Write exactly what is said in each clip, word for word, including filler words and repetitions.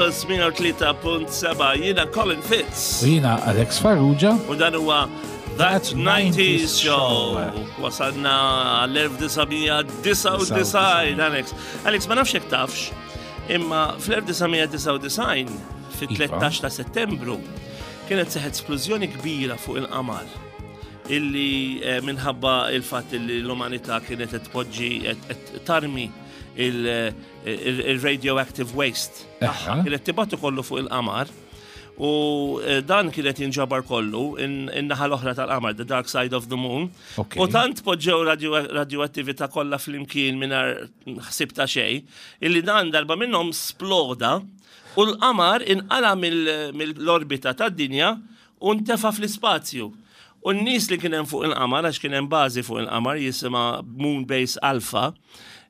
Campus mija u tlieta punt seba'. Jiena Colin Fitz. U jiena Alex Farrugia. U dan huwa That nineties Show. Wasalna għall-elf disa' mija disgħa u disgħin, Alex. Alex, ma nafx jekk tafx, imma fl-elf disa' mija disgħa u disgħin, fit-tlettax ta' Settembru, kienet seħet splużjoni kbira fuq il-qamar illi eh, minħabba il-fatt li l-umanità kienet qed tpoġġi, qed tarmi il-radioactive waste tagħha. Kienet tibgħatu kollu fuq il-qamar u eh, dan kienet jinġabar kollu in-naħa l-oħra tal-qamar, the dark side of the moon. U tant poġġew radioattività kollha flimkien mingħajr ħsib ta' xejn, illi dan darba minnhom sploda u l-qamar inqala mill-orbita tad-dinja u ntefa fl-ispazju. U n-nies li kien hemm fuq il-qamar, għax kien hemm bażi fuq il-qamar jisimha Moon Base Alpha,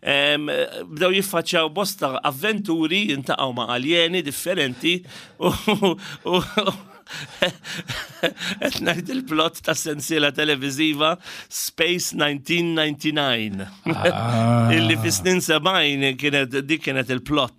bdew jiffaċċjaw bosta avventuri, jiltaqgħu ma' aljeni differenti u qed ngħid il-plot ta' sensiela televiżiva Space elf disa' mija disgħa u disgħin. Ah. Illi fi snin sebgħin kienet dik kienet il-plot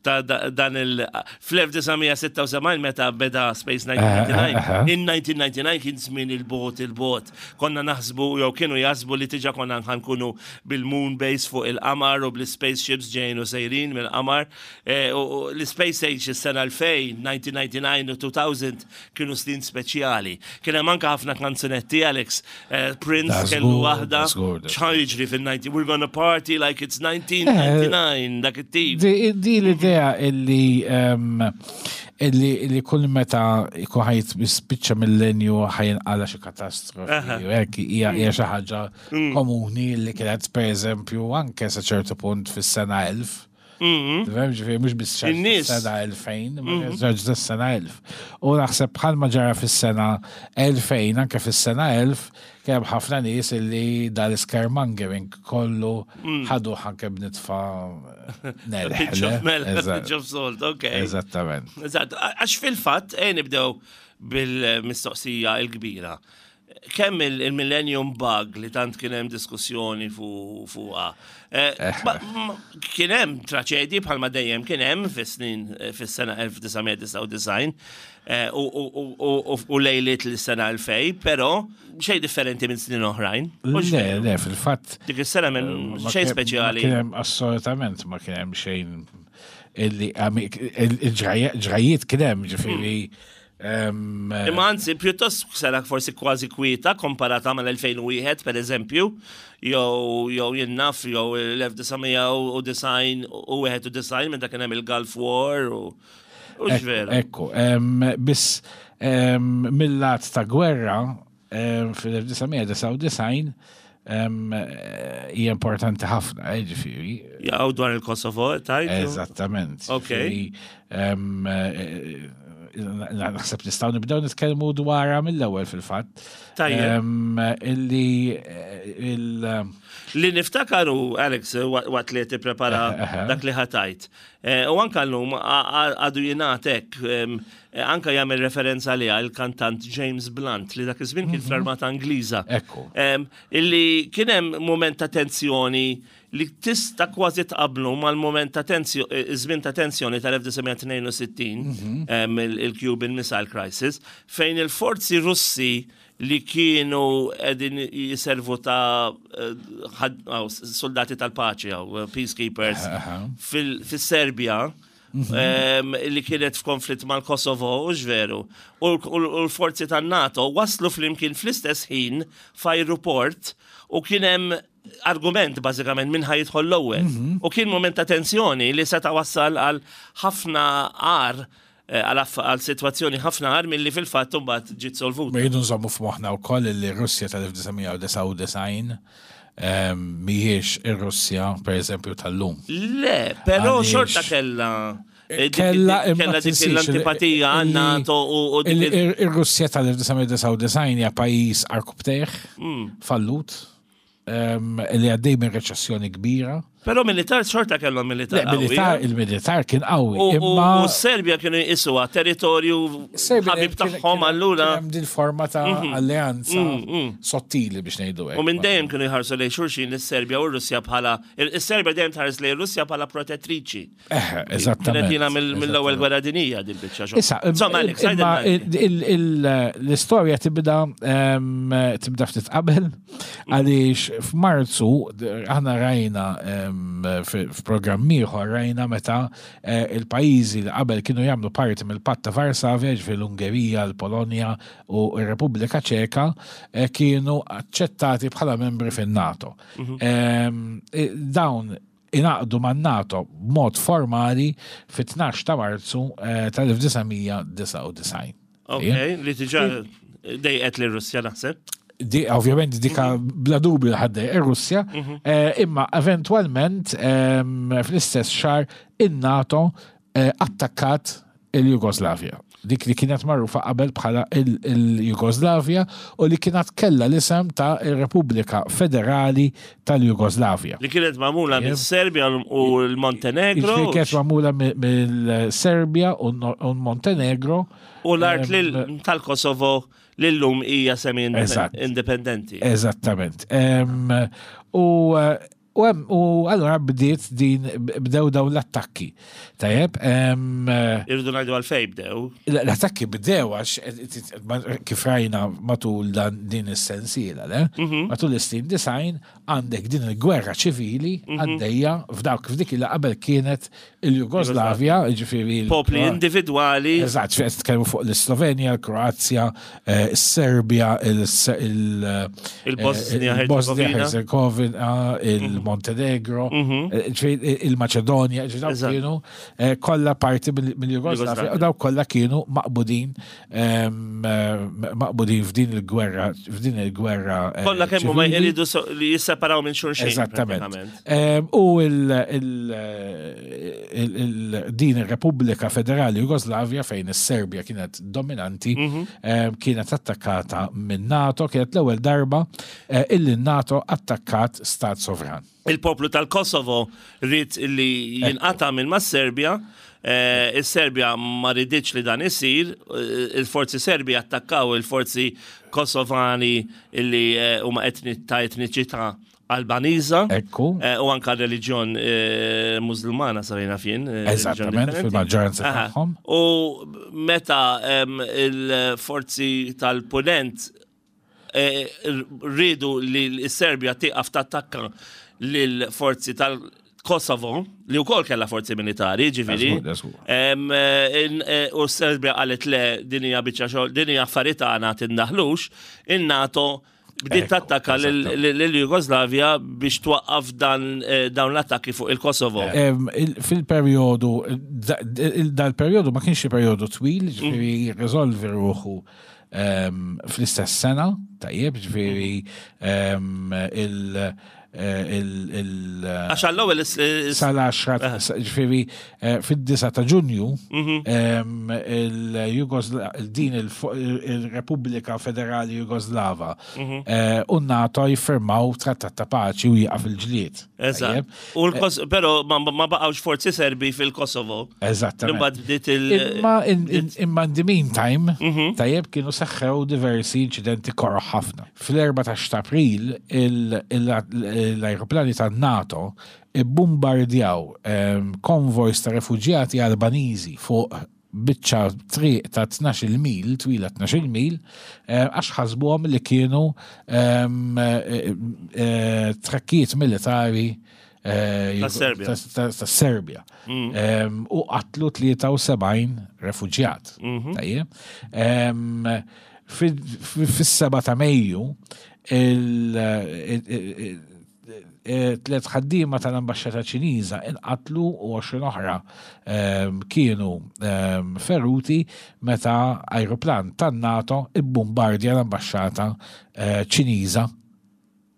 ta' dan il fl-elf disa' mija sitta u sebgħin meta beda Space elf disa' mija disgħa u disgħin. In elf disa' mija disgħa u disgħin kien żmien il-bot il-bot. Konna naħsbu jew kienu jaħsbu li diġà konna nkunu bil-moon base fuq il-qamar u bl-spaceships ġejjin u sejrin mill-qamar. Eh, u l-Space Age, is-sena elfejn, elf disa' mija disgħa u disgħin u elfejn kienu snin speċjali. Kien hemm anke ħafna kanzunetti, Alex. Eh, Prince kellu waħda. X'ħa jiġri fil-disgħin? We're gonna party like it's nineteen ninety-nine, dak it-tip. Di l-idea illi illi illi kull meta ikun ħa jispiċċa millenju ħa jinqala' xi katastrofi u hekk hija hija xi ħaġa mm. komuni li kienet, pereżempju, anke sa ċertu punt fis-sena elf. Mhm. Tifhem, ġifieri mhux biss sena elfejn, ma ġara sena elf. U naħseb bħalma ġara fis-sena elfejn, anke fis-sena elf kemm ħafna nies illi dal-scaremongering kollu mm. ħadu anke b'nitfa melħ. Pinch of salt, ok. Eżattament. Eżatt, għax fil-fatt, eh nibdew bil-mistoqsija il-kbira, kemm il-Millennium Bug li tant kien hemm diskussjoni fuqha. Eh, eh. Kien hemm traċedji bħalma dejjem kien hemm fis-snin fis-sena elf disa' mija disgħa u disgħin eh, u lejliet l-sena elfejn, però xejn differenti minn snin oħrajn. Le, le, fil-fatt. Dik is-sena minn xejn speċjali. Kien hemm assolutament ma kien hemm xejn illi il-ġrajiet kien hemm, ġifieri. Imma anzi, pjuttost sena forsi kważi kwieta komparata mal-elfejn u wieħed, per eżempju, jew jew jien naf, jew l-elf disa' mija u disgħin u wieħed u disgħin meta kien hemm il-Gulf War u Veru. Ekku, biss mill-lat ta' gwerra fil-elf disa' mija disgħa u disgħin hija importanti ħafna, eh, ġifieri. Jew dwar il-Kosovo, tajt? Eżattament. Ok. Naħseb nistgħu nibdew nitkellmu dwarha mill-ewwel fil-fatt. Tajjeb. Illi il Li niftakaru, Alex, waqt li tipprepara dak li ħa tgħid. Eh, u anka llum għadu jingħatek, anka jagħmel referenza li il-kantant James Blunt li dak iż-żmien kien mhm. fl-Armata Ingliża. Ekku. Illi kien hemm moment ta' tensjoni li tista' kważi tqablu mal-moment ta' tensjoni, iż-żmien ta' tensjoni tal-elf disa' mija tnejn u sittin, mhm. il-Cuban Missile Crisis, fejn il-forzi Russi li kienu qegħdin jiservu ta' eh, soldati tal-paċi, eh, peacekeepers, fil-Serbia, mhm. li kienet f'konflitt mal-Kosovo, u veru. U l-forzi tan-NATO waslu flimkien fl-istess ħin f'ajruport u kien hemm argument bażikament min ħa jidħol l-ewwel. Mhm. U kien moment ta' tensjoni li seta' wassal għal ħafna għar eh, għal situazzjoni ħafna agħar milli fil-fatt mbagħad ġiet solvuta. Ma jridu nżommu f'moħħna wkoll li Russja tal-elf disa' mija disgħa u disgħin mhijiex ir-Russja, pereżempju, tal-lum. Le, però xorta kella eh, Kella kella dik l-antipatija għan NATO u Ir-Russja tal-elf disa' mija disgħa u disgħin hija pajjiż għarkupptejh, mm. fallut, li għaddej minn reċessjoni kbira. Però militar xorta kellhom militar Le, qawwi. Militar, eh? il-militar kien qawwi. U- U Imma u s-Serbja kienu jqisuha territorju Serbja ħabib kien- tagħhom kien- allura. kien hemm din forma ta' alleanza sottili biex ngħidu hekk. U minn dejjem kienu jħarsu lejn xulxin is-Serbja u r-Russja bħala is-Serbja dejjem tħares lejn Russja bħala protettriċi. Eh, eżattament. Kienet jiena mill- mill-ewwel gwerra dinija din biċċa xogħol. Issa, Insomma, Alex, imma għidilna. il- il- l-istorja tibda em, tibda ftit qabel għaliex f'Marzu aħna rajna em, f- f'programm ieħor rajna meta eh, il-pajjiżi li qabel kienu jagħmlu parti mill-Patt ta' Varsavja, ġifieri l-Ungerija, l-Polonja u r-Repubblika Ċeka eh, kienu aċċettati bħala membri fin-NATO. Em, eh, Dawn ingħaqdu man-NATO b'mod formali fit-tnax ta' Marzu eh, tal-elf disa' mija disgħa u disgħin. Ok, li diġà dejqet li Russja naħseb. Di, ovvjament dika bla dubju ħaddej ir-Russja, eh, imma eventualment em, fl-istess xahar in-NATO eh, attakkat il-Jugoslavja. Dik li kienet magħrufa qabel bħala il- il-Jugoslavja u li kienet kella l-isem ta' il-Repubblika Federali tal-Jugoslavja. Li kienet magħmula mis-Serbja u l-Montenegro. Ġifieri kienet magħmula mill-Serbja u l-Montenegro. U l-art lil- tal-Kosovo li llum hija semi Eżatt. indipendenti. Eżattament. Em, U u hemm- u allura bdiet din bdew dawn l-attakki. Tajjeb, em, Irridu ngħidu għalfejn bdew. l-attakki bdew għax kif rajna matul dan din is-sensiela, le? Matul is-snin disgħin għandek din il-gwerra ċivili għaddejja f'dawk f'dik li qabel kienet il-Jugoslavja, ġifieri il- Popli individwali. Eżatt, qed nitkellmu fuq l-Slovenja, l-Kroazja, eh, is-Serbja, il- Il-Bosnia, il-Bosnia, Herzegovina. Herzegovina, il-Montenegro, eh, ġifieri il-Maċedonja, ġifieri dawk Eżatt. kienu eh, kollha parti mill- mill-Jugoslavja, Jugoslavja. u dawk kollha kienu maqbudin em, eh, maqbudin f'din il-gwerra, f'din il-gwerra eh, Kollha kemm huma ċivili. jridu so- li jisseparaw minn xulxin. Eżattament. Pratikament. Em, U il- il- il- il- din ir-Repubblika Federali Jugoslavja fejn is-Serbja kienet dominanti em, kienet attakkata minn NATO, kienet l-ewwel darba eh, illi NATO attakkat stat sovran. Il-poplu tal-Kosovo ried li jinqata minn ma' Serbja. eh, Is-Serbja ma riditx li dan isir, eh, il-forzi Serbi attakkaw il-forzi Kosovani illi eh, huma etni ta' etniċità Albaniża. Ekku. Eh, U anka reliġjon eh, Musulmana sarina fin. eh, reliġjon Eżattament, differenti. fil-maġġoranza Aha. tagħhom. U meta em, il-forzi tal-punent eh, rridu li l-Serbja tieqaf tattakka lil-forzi tal-Kosovo, li wkoll kellha forzi militari, ġifieri. Żgur, żgur. Em, eh, in- eh, U s-Serbja qalet le din hija biċċa xogħol, din hija affarijiet tagħna tindaħlux, in-NATO bdiet Ekku, tattakka eżattament. lill-Jugoslavja biex twaqqaf dan eh, dawn l-attakki fuq il-Kosovo. Em, il- Fil-periodu, da- il- dal-periodu ma kienx periodu twil, ġifieri risolvi ruħu em, fl-istess sena, tajjeb, ġifieri em, il- eh, il- il- Għax għall-ewwel is- is- sal-għaxra, ġifieri eh, fid-disa ta' Ġunju, em, il-Jugosla- din il-Repubblika Federali Jugoslava eh, u NATO jiffirmaw trattat ta' paċi u jieqaf il-ġlied. Eżatt. Tajjeb? U l-Kos- Però ma ma baqgħux forzi Serbi fil-Kosovo. Eżattament. Imbagħad bdiet il- Imma in, in, imma in the meantime, tajjeb kienu seħħew diversi incidenti koroh ħafna. Fl-erbatax ta' April, il- il- l-aeroplani tan NATO bombardjaw konvojs ta' refugjati Albaniżi fuq biċċa triq ta' tnax-il mil, twila tnax-il mil, eh, għax ħasbuhom li kienu em, eh, eh, trakkijiet militari eh, Ta' Serbja. ta' ta' ta' Serbja. Em, U qatlu tlieta u sebgħin refuġjat. Tajjeb. Em, fi- fi- Fis-seba ta' Mejju, il- il- il- il- tliet ħaddiema tal-ambasċata Ċiniża inqatlu u għoxrin oħra em, kienu em, feruti meta aeroplan tan-NATO ibbombardja l-ambasċata eh, Ċiniża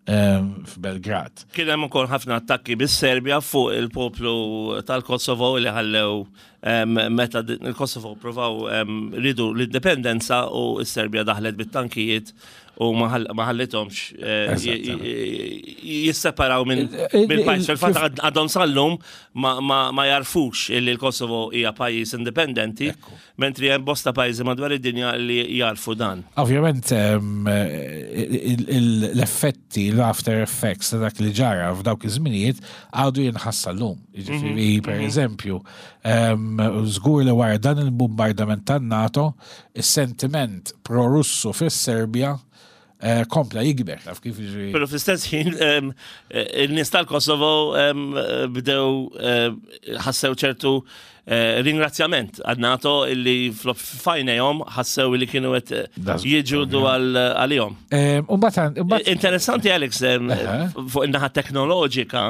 em, f'Belgrad. Kien hemm ukoll ħafna attakki bis-Serbja fuq il-poplu tal-Kosovo li ħallew em, meta di- il-Kosovo provaw em, ridu l-indipendenza u s-Serbja daħlet bit-tankijiet u ma ħall- ma ħallithomx eh, Eżattament. j- j- jisseparaw minn Il- mill-pajjiż. il- Fil-fatt għad- għadhom sal-lum ma, ma, ma jarfux illi l-Kosovo hija pajjiż indipendenti, Ekku. mentri hemm bosta pajjiżi madwar id-dinja li jarfu dan. Ovvjament em, il- il- l-effetti, l-after effects ta' dak li ġara f'dawk iż-żminijiet għadu jinħass sal-lum. Jiġifieri, per eżempju, em, żgur li wara dan il-bombardament tan-NATO, is-sentiment pro-Russu fis-Serbja eh, kompla jikber. Taf kif jiġri? Pero fl-istess ħin em, eh, il-nies tal-Kosovo em, eh, bdew eh, ħassew ċertu eh, ringrazzjament għan-NATO illi f'għajnejhom ħassew li kienu qed eh, Da żgur, jiġġieldu għal- għalihom. Em, U mbagħad imbagħad- Interessanti, Alex, em, Aha. fuq in-naħa teknoloġika,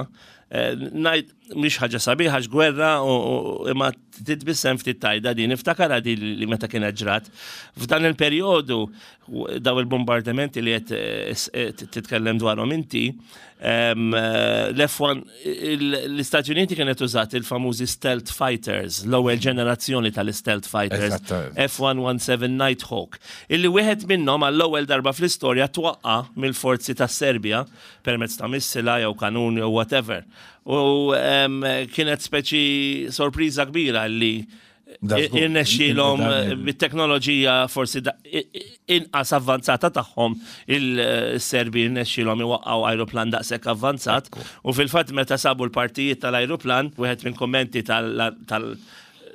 eh, ngħid mhix ħaġa sabiħa għax gwerra u u- imma titbissem ftit tajda din niftakar di li meta kienet ġrat. F'dan il-perjodu u- daw il-bombardamenti li qed eh, s- eh, titkellem dwarhom inti, em, eh, l-F one, il- l-Istati Uniti kienet użat il-famużi stealth fighters, l-ewwel ġenerazzjoni tal-stealth fighters, Eżattament. F one seventeen Nighthawk, illi wieħed minnhom għall-ewwel darba fl-istorja twaqqa mill-forzi tas Serbja permezz ta' missila jew kanun jew whatever. U em, kienet speċi sorpriża kbira li Da żgur. irnexxielhom Dan il- bit-teknoloġija forsi da- i- i- inqas avvanzata tagħhom, il-Serbi irnexxielhom iwaqqgħu ajruplan daqshekk avvanzat. U fil-fatt meta sabu l-partijiet tal-ajruplan, wieħed minn kommenti tal- tal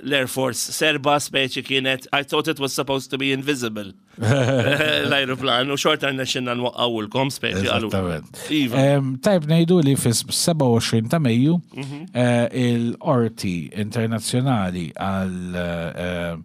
l-Air Force Serba speċi kienet "I thought it was supposed to be invisible." L-ajruplan u xorta rnexxinna nwaqqawulkom, speċi qalu. Eżattament. Iva. Em, Tajb ngħidu li fis-sebgħa u għoxrin ta' Mejju eh, il-Qorti Internazzjonali għal eh,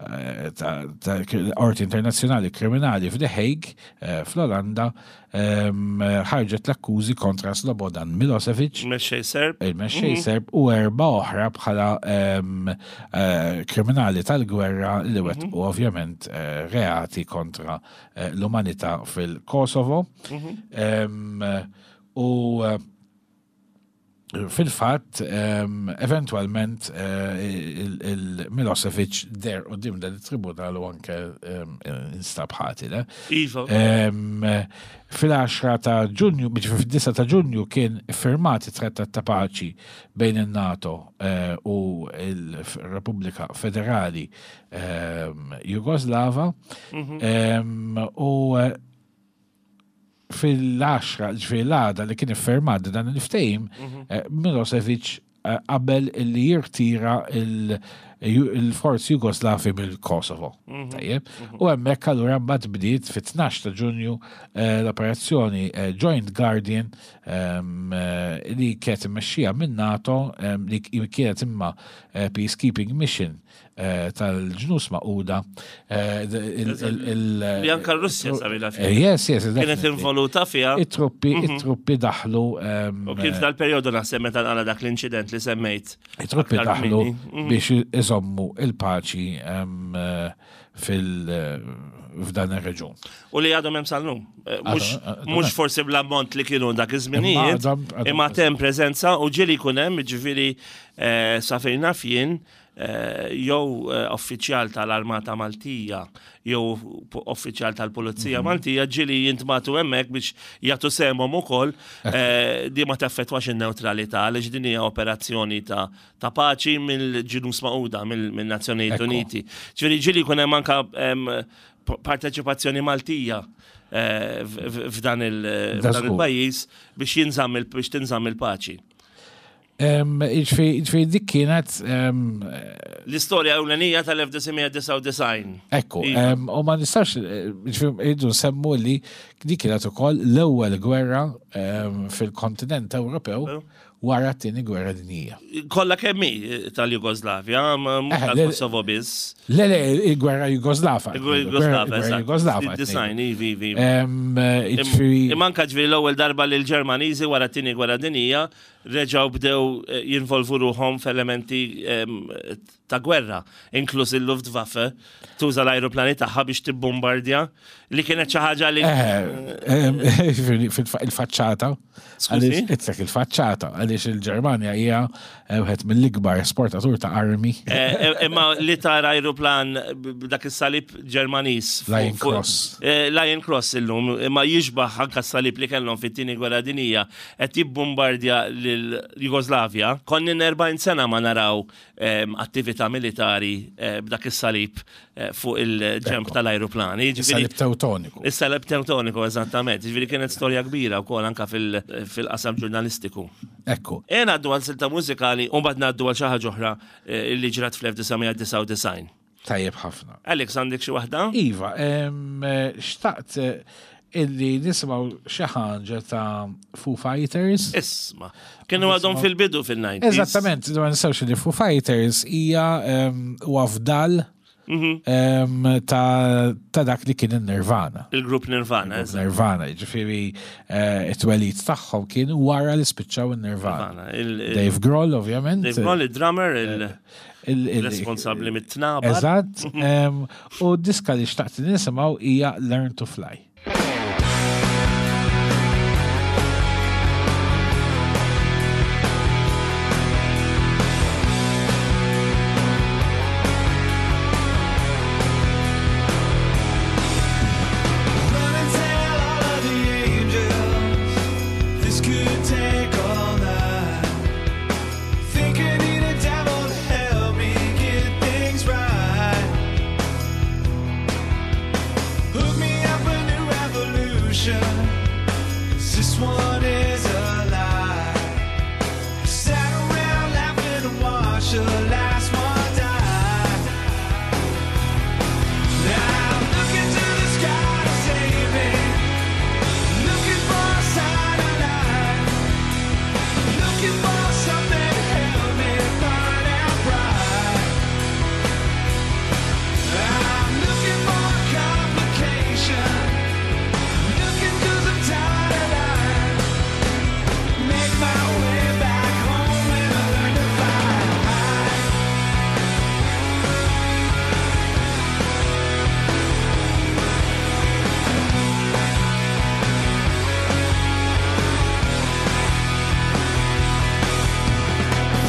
eh, ta' ta' Qorti Internazzjonali Kriminali f'The Hague eh, fl-Olanda em, ħarġet l-akkużi kontra Slobodan Milosevic, Mexxej Serb. il-mexxej Serb, u erba oħra bħala em, eh, kriminali tal-gwerra li wettqu ovvjament eh, reati kontra eh, l-umanità fil-Kosovo. Em, U eh, fil-fatt, em, eventualment eh, il- il-Milosevic deher quddiem dan il-tribunal u anke em, instab ħati, le? Iva. Em, Fil-għaxra ta' Ġunju, ġifieri fid-disgħa ta' Ġunju kien firmat it-Trattat ta' Paċi bejn il-NATO eh, u il-Repubblika Federali em, Jugoslava Em, u eh, fil-għaxra, ġifieri l-għada li kien iffirmat dan il-ftehim, eh, Milosevic eh, qabel li jirtira il- il-forzi Jugoslavi mill-Kosovo. Tajjeb. U hemmhekk allura mbagħad bdiet fit-tnax ta' Ġunju eh, l-operazzjoni eh, Joint Guardian em, eh, li kienet immexxija minn NATO, em, li kienet imma eh, peacekeeping mission eh, tal-Ġnus Magħquda. eh, il- il- il- Li anka r-Russja sabila Eh, fiha. Yes, yes, Kienet definitely. involuta fiha. It-truppi, it-truppi daħlu em, U kien f'dal-perjodu naħseb meta nqala dak l-inċident li semmejt. it-truppi aktar daħlu kmieni. Mhm. biex iżommu il-paċi em, eh, fil eh, f'dan ir-reġun. U li għadhom hemm sal-lum. Eh, Mhux Għadhom- mhux forsi bl-ammont li kienu dak iż-żminijiet, Imma għadhom- għadhom imma hemm preżenza u ġieli jkun hemm, ġifieri eh, sa fejn naf jien, eh, jew eh, uffiċjal tal-Armata Maltija jew po- uffiċjal tal-Pulizija Mhm. Maltija ġieli jintbagħtu hemmhekk biex jagħtu sehemhom ukoll. eh, di ma taffettwax in-newtralità għaliex din hija operazzjoni ta' ta' paċi mill-Ġnus Magħquda, mill-Nazzjonijiet Ekku. Uniti. Ġifieri ġieli jkun hemm anka em, p- parteċipazzjoni Maltija eh, f- f- f'dan il- Da f'dan żgur. il-pajjiż biex jinżamm il- biex tinżamm il-paċi. Em, Ġifieri ġifieri dik kienet em, L-istorja ewlenija tal-elf disa' mija disgħa u disgħin. Ekku, Iva. em, u ma nistax, eh, ġifieri, irridu nsemmu li dik kienet ukoll l-ewwel gwerra em, fil-kontinent Ewropew wara t-tieni gwerra dinjija. Kollha kemm hi tal-Jugoslavja, ma mhux Eh, le- tal-Kosovo biss. Le, le, il-gwerra Jugoslava. Jugoslava, Gwerra Jugoslava. Design, ivi, ivi. Em, Ġifieri, Imma anka ġifieri l-ewwel darba li l-Ġermaniżi wara t-tieni gwerra dinjija reġgħu bdew eh, jinvolvu ruħhom f'elementi em, ta' gwerra, inkluż il-Luftwaffe, tuża l-ajruplani tagħha biex tibbombardja, li kienet xi ħaġa li. Il-faċċata. Skużi? Itlek il-faċċata, għaliex il-Ġermanja hija wieħed mill-ikbar esportatur ta' armi. Eh, Imma li tara ajruplan b'dak is-salib Ġermaniż. fuq- Lion fuq- Cross. Eh, Lion Cross illum, imma jixbaħ anka s-salib li kellhom fit-tieni gwerra dinija qed jibbombardja lil Jugoslavja. Konna erbgħin sena ma naraw em, attività militari eh, b'dak is-salib eh, fuq il-ġemp tal-ajruplani. Jiġifieri- Salib Teutoniku. Is-salib Teutoniku, eżattament. Jiġifieri kienet storja kbira wkoll anka fil- fil-qasam ġurnalistiku. Ekku. E ngħaddu għal silta mużikali u mbagħad ngħaddu għal xi ħaġa oħra eh, li ġrat fl-elf disa' mija disgħa u disgħin. Tajjeb ħafna. Alex, għandek xi waħda? Iva, em, eh, xtaqt eh, illi nisimgħu xi ħaġa ta' Foo Fighters. Isma. Kienu għadhom fil-bidu fil-nineties. Eżattament, ma nistgħux li Foo Fighters hija em, huwa fdal Mhm. em, ta' ta' dak li kien il-Nirvana. Il-grupp Nirvana, eżatt. Nirvana, ġifieri eh, it-twelid tagħhom kien wara li spiċċaw il-Nirvana. Nirvana. Il- il- Dave Grohl, ovvjament. Dave Grohl, il-drummer, il- il- il-responsabli mit-tnabar. Eżatt, em, u diska li xtaqt nisimgħu hija Learn to Fly. Run and tell all of the angels this could take all night. Think I need a devil to help me get things right. Hook me up a new revolution, 'cause this one is a lie. Sat around laughing and watch the last one die. Now I'm looking to the sky to save me. Looking for a sign of life. Looking for something to help me find out right. I'm looking for a complication. Looking 'cause I'm tired of lying. Make my way back home and I learn to fly.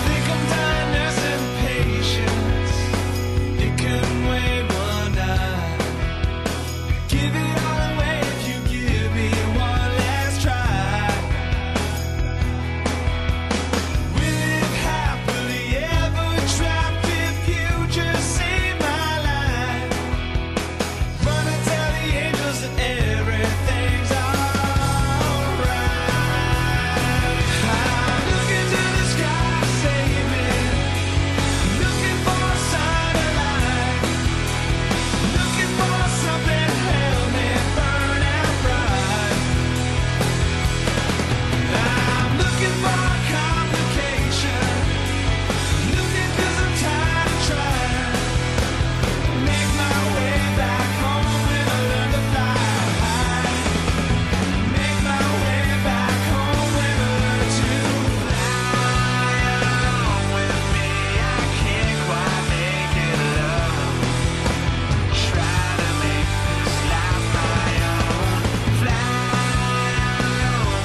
Think I'm done nursing patience. It couldn't wait one night. Give it all away if you give me one last try. We live happily ever trapped if you just save my life. Run and tell the angels that everything's alright. I'm looking to the sky to save me. Looking for a sign of life. Looking for something to help me burn out bright. I'm looking for a complication. Looking 'cause I'm tired of trying. Make my way back home and I learn to fly. Make my way back home and I learn to fly. With me, I can't quite make it alone. Try to make this life my own. Fly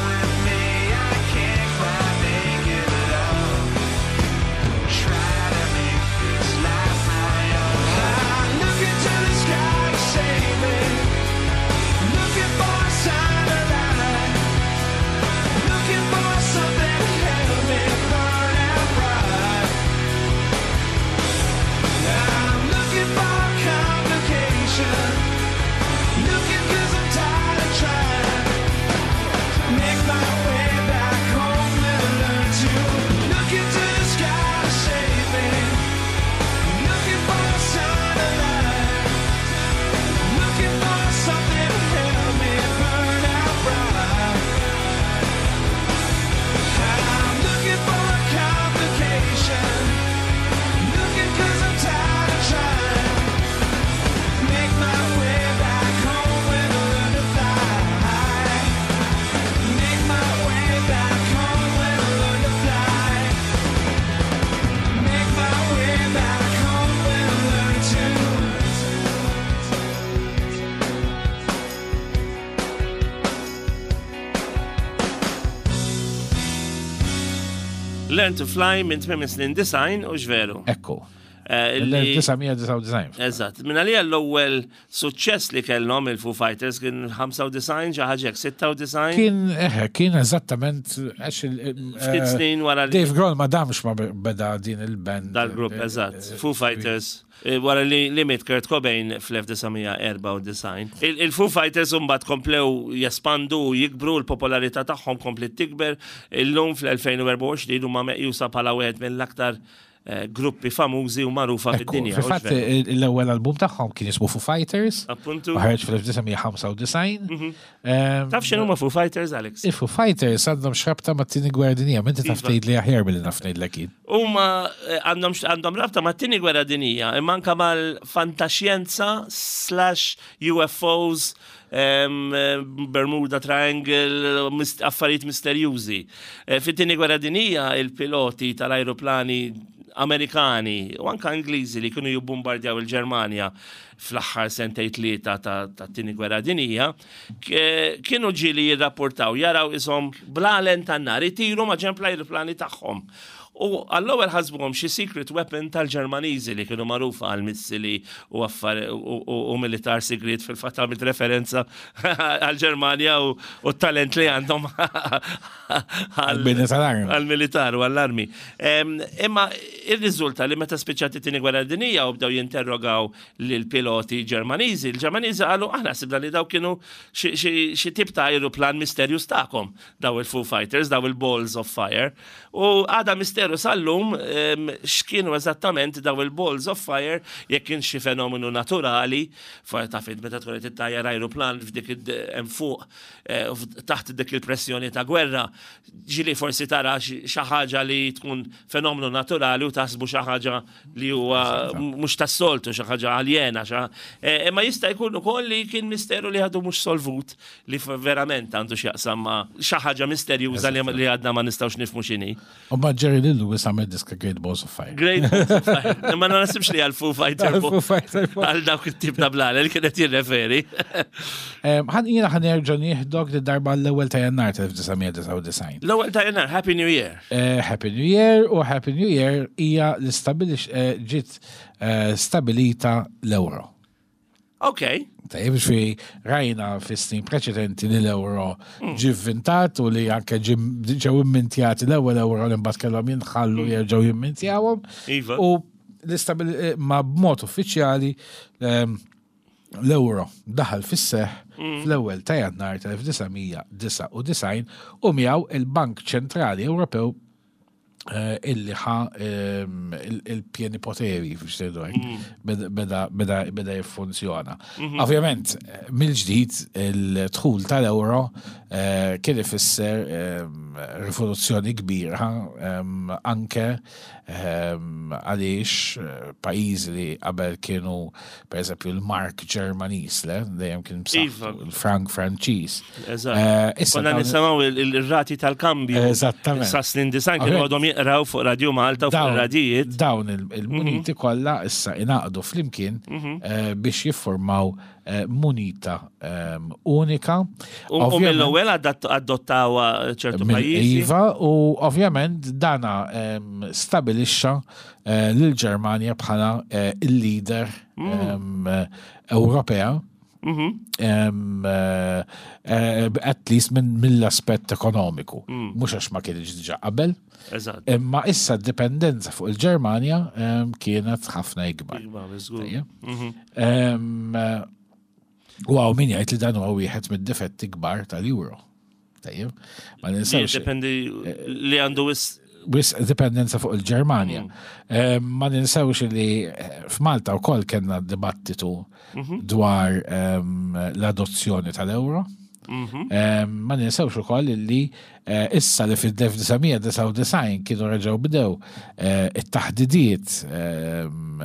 with me, I can't quite make it alone. Try to make this life my own. I'm looking to the sky to save me. Looking for a sign of life. Looking for something to help me burn out bright. I'm looking for a complication. Looking 'cause I'm tired of trying. Make my way back home and learn to look into the sky to save me. Looking for a sign of life. Looking for something to help me burn out bright. I'm looking for a complication. Looking 'cause I'm tired of trying. Make my way back home and learn to fly. Make my Learn to Fly minn tmiem snin disgħin u x'veru. Ekku. Eh, li- L-elf disa' mija disgħa u disgħin. Eżatt, minn għalija l-ewwel suċċess li kellhom il-Foo Fighters kien ħamsa u disgħin, xi ħaġa hekk, sitta u disgħin. Kien, eħe, kien eżattament, għax il- Ftit eh, snin wara li Dave Grohl ma damx ma beda din il-band. Dal-grupp, eh, eżatt, eh, Foo Fighters, eh, wara li li miet Kurt Cobain fl-elf disa' mija erbgħa u disgħin. Il- Il-Foo Fighters mbagħad komplew jespandu u jikbru, l-popolarità tagħhom komplet tikber. Illum fl-elfejn u erbgħa u għoxrin huma meqjusa bħala wieħed mill-aktar eh, gruppi famużi u magħrufa Ekku, fid-dinja. fil-fatt l-ewwel album tagħhom kien jismu Foo Fighters. Appuntu. U ħareġ fl-elf disa' mija ħamsa u disgħin. Ehm, Taf x'inhu ma Foo Fighters, Alex? Il-Foo Fighters għandhom x'rabta mat-Tieni Gwerra Dinjija, inti taf Iva. tgħid li aħjar milli naf ngħidlek jien. Huma eh, għandhom għandhom rabta mat-Tieni Gwerra Dinjija, imma anka mal-fantaxjenza slash U F Os, em, eh, Bermuda Triangle, mist affarijiet misterjużi. Eh, Fit-Tieni Gwerra Dinjija il-piloti tal-ajruplani Amerikani u anka Ingliżi li kienu jibbombardjaw il-Ġermanja fl-aħħar sentej tlieta ta' ta' Tieni Gwerra Dinjija, k- kienu ġieli jirrapportaw jaraw ishom blalen tan-nar itiru ma' ġenb l-ajruplani tagħhom. U għall-ewwel ħasbuhom xi secret weapon tal-Ġermaniżi li kienu magħrufa għal missili u affar u, u, u militar sigriet. Fil-fatt għamilt referenza għal-Ġermanja u, u t-talent li għandhom Għal-bini tal-armi. għal-militar u għall-armi. Em, Imma il-riżulta li meta spiċċat it-Tieni Gwerra Dinjija u bdew jinterrogaw lil piloti Ġermaniżi, il-Ġermaniżi qalu: "Aħna sibna li daw kienu xi- xi xi tip ta' aeroplan misterjuż tagħkom, daw il-Foo Fighters, daw il-Balls of Fire." U għada misteru sal-lum em, x'kienu eżattament daw il-Balls of Fire, jekk kien xi fenomenu naturali, fa taf int meta tkun qed ittajjar aeroplan f'dik id- hemm fuq eh, u f- taħt dik il-pressjoni ta' gwerra, ġieli forsi tara xi xi ħaġa li tkun fenomenu naturali u taħsbu xi ħaġa li huwa mhux tas-soltu, xi ħaġa aljena, xi eh, imma jista' jkun ukoll li kien misteru li għadu mhux solvut, li f- verament għandu x'jaqsam ma' xi ħaġa misterjuża li li għadna ma nistgħux nifhmu x'inhi. U ma Jerry Lee Lewis għamel diska Great Balls of Fire. Great Balls of Fire. Imma ma nasibx li għal Foo Fighter Foo Fighter. għal dawk it-tip ta' blalen li kienet jirreferi. Em, Ħan jiena ħan nerġa' nieħdok di darba l-ewwel ta' Jannar tal-elf disa' mija disgħa u disgħin. L-ewwel ta' Jannar, Happy New Year. Eh, Happy New Year, u Happy New Year hija l-istabilix eh, ġiet eh, stabilita l-euro. Ok. Tajjeb, fi rajna fi snin preċedenti li l-euro ġi vintat u li anke ġi- ġew immintjati l-ewwel euro li mbagħad kellhom jinħallu jerġgħu jimmintjawhom. Iva. U l-istabil eh, ma b'mod uffiċjali ehm, l-euro daħal fis-seħ fl-ewwel ta' Jannar tal-elf disa' mija disgħa u disgħin u miegħu il-Bank Ċentrali Ewropew eh, illi ħa ehm, il- il-pieni poteri biex tgħidu hekk, beda- beda beda beda jiffunzjona. Ovvjament, eh, mill-ġdid il-dħul tal-euro eh, kien ifisser ehm, rivoluzzjoni kbira ehm, anke ehm, għaliex eh, pajjiżi li qabel kienu, per eżempju, l-Mark Ġermaniż, le, dejjem kien Iva. b'saħħtu, il-Frank Franċiż. Eżatt. Eh, issa Konna dawn- nisimgħu il- il-rati tal-kambju. Eżattament. Sa snin disgħin kienu Ovvjament. għadhom jaqraw fuq Radio Malta u fuq Dawn- radijiet. Dawn il- il-muniti kollha issa ingħaqdu flimkien eh, biex jiffurmaw eh, munita ehm, unika. U u Ovvjament- mill-ewwel adatt- adottaw ċertu Mill- pajjiżi. Iva, u ovvjament dana em, stabilixxa eh, lil-Ġermanja bħala eh, il-leader em, eh, Ewropea. Em, eh, eh, at least minn mill-aspett ekonomiku. Mhux għax ma kienx diġà qabel, Eżatt. imma issa d-dipendenza fuq il-Ġermanja em, kienet ħafna ikbar. Ikbar, żgur. Tajjeb. Em, eh, U hawn min jgħid li dan huwa wieħed mid-difetti kbar tal-euro. Tajjeb. Ma ninsewx. Dependi li għandu wis Wis dipendenza fuq il-Ġermanja. Eh, Ma ninsewx li eh, f'Malta wkoll kellna dibattitu dwar em, l-adozzjoni tal-euro. Em, Ma ninsewx ukoll li eh, issa li fil-elf disa' mija disgħa u disgħin kienu reġgħu bdew eh, it-taħdidiet em,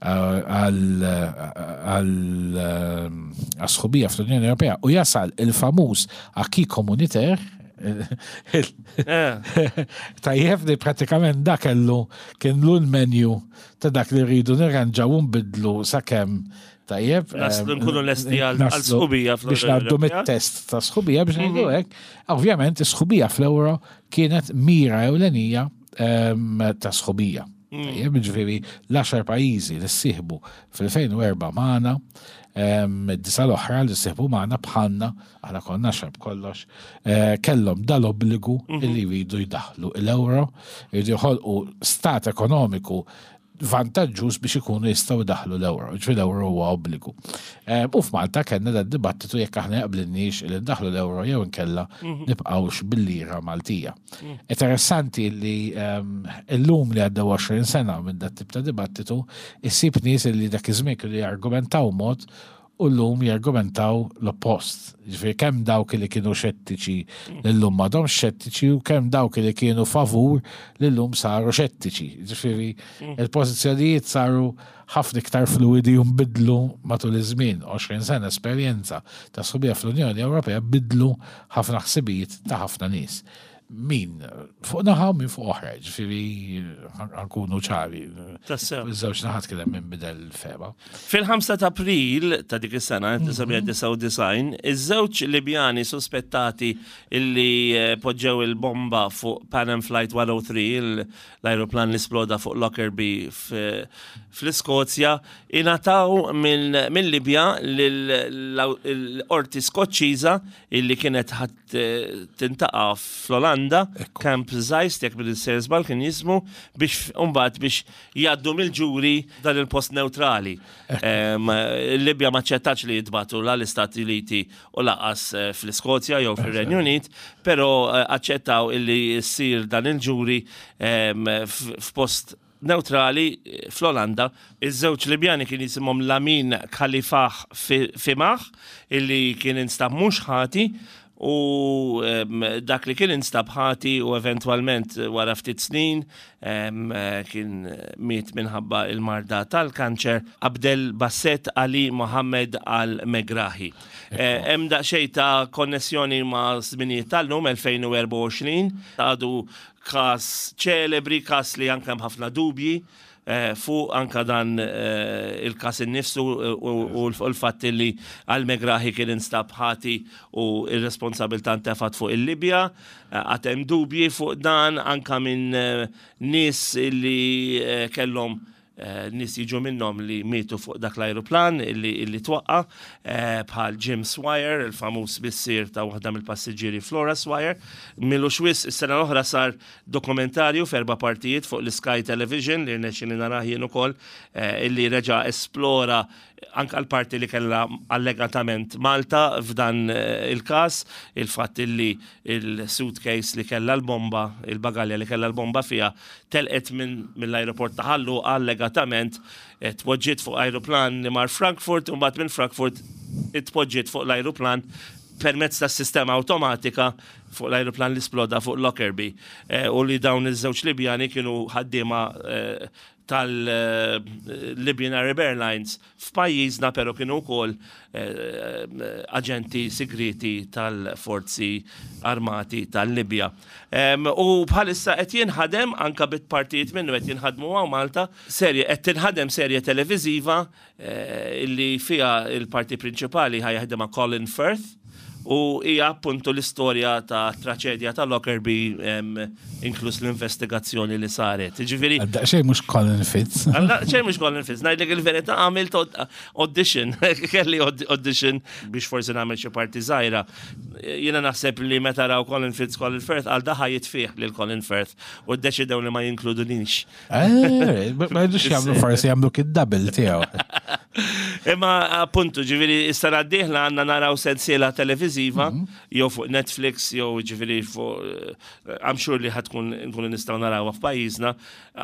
għal għal ehm, għas-sħubija fl-Unjoni Ewropea u jasal il-famuż acquis communautaire. Eh, Tajjeb, li pratikament dak kellu kien l menu ta' dak li rridu nirranġaw u nbidlu sakemm, tajjeb, Naslu em, nkunu lesti għal- naslu għal sħubija fl-Unjoni biex ngħaddu Ewropea. mit-test ta' sħubija, biex ngħidu hekk. Ovvjament is-sħubija fl-euro kienet mira ewlenija em, ta' sħubija. Tajjeb, ġifieri l-għaxar pajjiżi li ssieħbu fil-elfejn u erbgħa magħna, em, id-disa l-oħra li ssieħbu magħna bħalna, aħna konna għaxar b'kollox, eh, kellhom dal-obbligu illi jridu jdaħlu l-euro, jridu joħolqu stat ekonomiku vantaġġuż biex ikunu jistgħu jdaħlu l-euro. Ġifieri l-euro huwa obbligu. Eh, U f'Malta kellna dan dibattitu jekk aħna jaqblinniex li ndaħlu l-euro jew inkella nibqgħux bil-lira Maltija. Interessanti li ehm, illum li għaddew għoxrin sena minn dat tip ta' dibattitu, issib nies li dak iż-żmien kienu jargumentaw mod u llum jargumentaw l-oppost. Ġifieri kemm dawk li kienu xettiċi li llum m'għadhomx xettiċi u kemm dawk li kienu favur li llum saru xettiċi. Ġifieri il-pożizzjonijiet saru ħafna iktar fluidi u nbidlu matul iż-żmien. għoxrin sena esperjenza ta' sħubija fl-Unjoni Ewropea bidlu ħafna ħsibijiet ta' ħafna nies. Min fuq naħa u min fuq oħra, ġifieri ħa nkunu ċari. Tassew. Iż-żewġ naħat kien hemm min bidel il-fehma. Fil-ħamsa ta' April ta' dik is-sena, elf disa' mija disgħa u disgħin, iż-żewġ Libjani suspettati illi eh, poġġew il-bomba fuq Pan Am Flight one oh three, il- l-aeroplan li sploda fuq Lockerbie f- fl-Iskozja, ingħataw minn Libja l-qorti Skoċċiża illi kienet ħat eh, tintaqa fl-Olanda, Camp Zeist, jekk bil żball kien jismu, biex mbagħad biex jgħaddu mill-ġuri dan il-post neutrali. Em, Libja ma aċċettax li jintbagħtu la l-Istati Uniti u lanqas eh, fl-Iskozja jew fil-Renju Unit, però eh, aċċettaw illi ssir dan il-ġuri em, f- f'post neutrali eh, fl-Olanda. Iż-żewġ Libjani kien jisimhom Lamin Khalifah Fi- Fimah, illi kien instab mhux ħati, u em, dak li kien instab ħati u eventualment wara ftit snin em, eh, kien miet minħabba il-marda tal-kanċer, Abdel Basset Ali Mohammed Al-Megrahi. Eh, Hemm daqsxejn ta' konnessjoni ma' żminijiet tal-lum elfejn u erbgħa u għoxrin, għadu kas ċelebri, kas li anke hemm ħafna dubji eh, fuq anka dan eh, il-kas innifsu u u l-fatt li Al-Megrahi kien instab ħati u ir-responsabilità ntefat fuq il-Libja, eh, għad hemm dubji fuq dan anka minn eh, nies li eh, kellhom eh, nies jiġu minnhom li mietu fuq dak l-aeroplan illi, illi twaqqa, eh, bħal Jim Swire, il-famuż missier ta' waħda mill-passiġġieri Flora Swire. M'ilux wisq is-sena l-oħra sar dokumentarju f'erba' partijiet fuq l-Sky Television li rnexxieli narah jien ukoll, eh, illi reġa' esplora anka l-parti li kella allegatament Malta f'dan eh, il-kas, il-fatt illi il-suitcase li kella l-bomba, il-bagalja li kella l-bomba fija, telqet minn mill-aeroport ta' Ħal Luqa allegatament, eh, tpoġġiet fuq aeroplan li mar Frankfurt, u mbagħad minn Frankfurt itpoġġiet fuq l-aeroplan permezz ta' sistema automatika fuq l-aeroplan li sploda fuq Lockerbie. Eh, u li dawn iż-żewġ Libjani kienu ħaddiema eh, tal-Libyan Arab Airlines f'pajjiżna, pero kienu wkoll eh, aġenti segreti tal-forzi armati tal-Libja. Em, U bħalissa qed jinħadem anka bit partijiet minnu qed jinħadmu hawn Malta, serje qed tinħadem serje televiżiva eh, illi fiha il-parti prinċipali ħa jaħdimha Colin Firth u hija appuntu l-istorja ta' traċedja ta' Lockerbie, em, inkluż l-investigazzjoni li saret. Ġifieri Daqsxejn mhux Colin Fitz. Għalla, ċej mux Colin Fitz, ngħidlek il-verità, għamilt aud- audition, kelli aud- audition biex forsi nagħmel xi parti żgħira. Jiena naħseb li meta raw Colin Fitz, Colin Firth, għal daħa jitfih lil Colin Firth u ddeċidew li ma jinkludunix. Eh, Ma jridux jagħmlu, forsi jagħmlu kid-double tiegħu. Imma appuntu, ġifieri, is-sena d-dieħla għandna naraw sensiela televiziva, jew fuq Netflix, jew ġifieri fuq, eh, I'm sure li ħa tkun nkunu nistgħu narawha f'pajjiżna,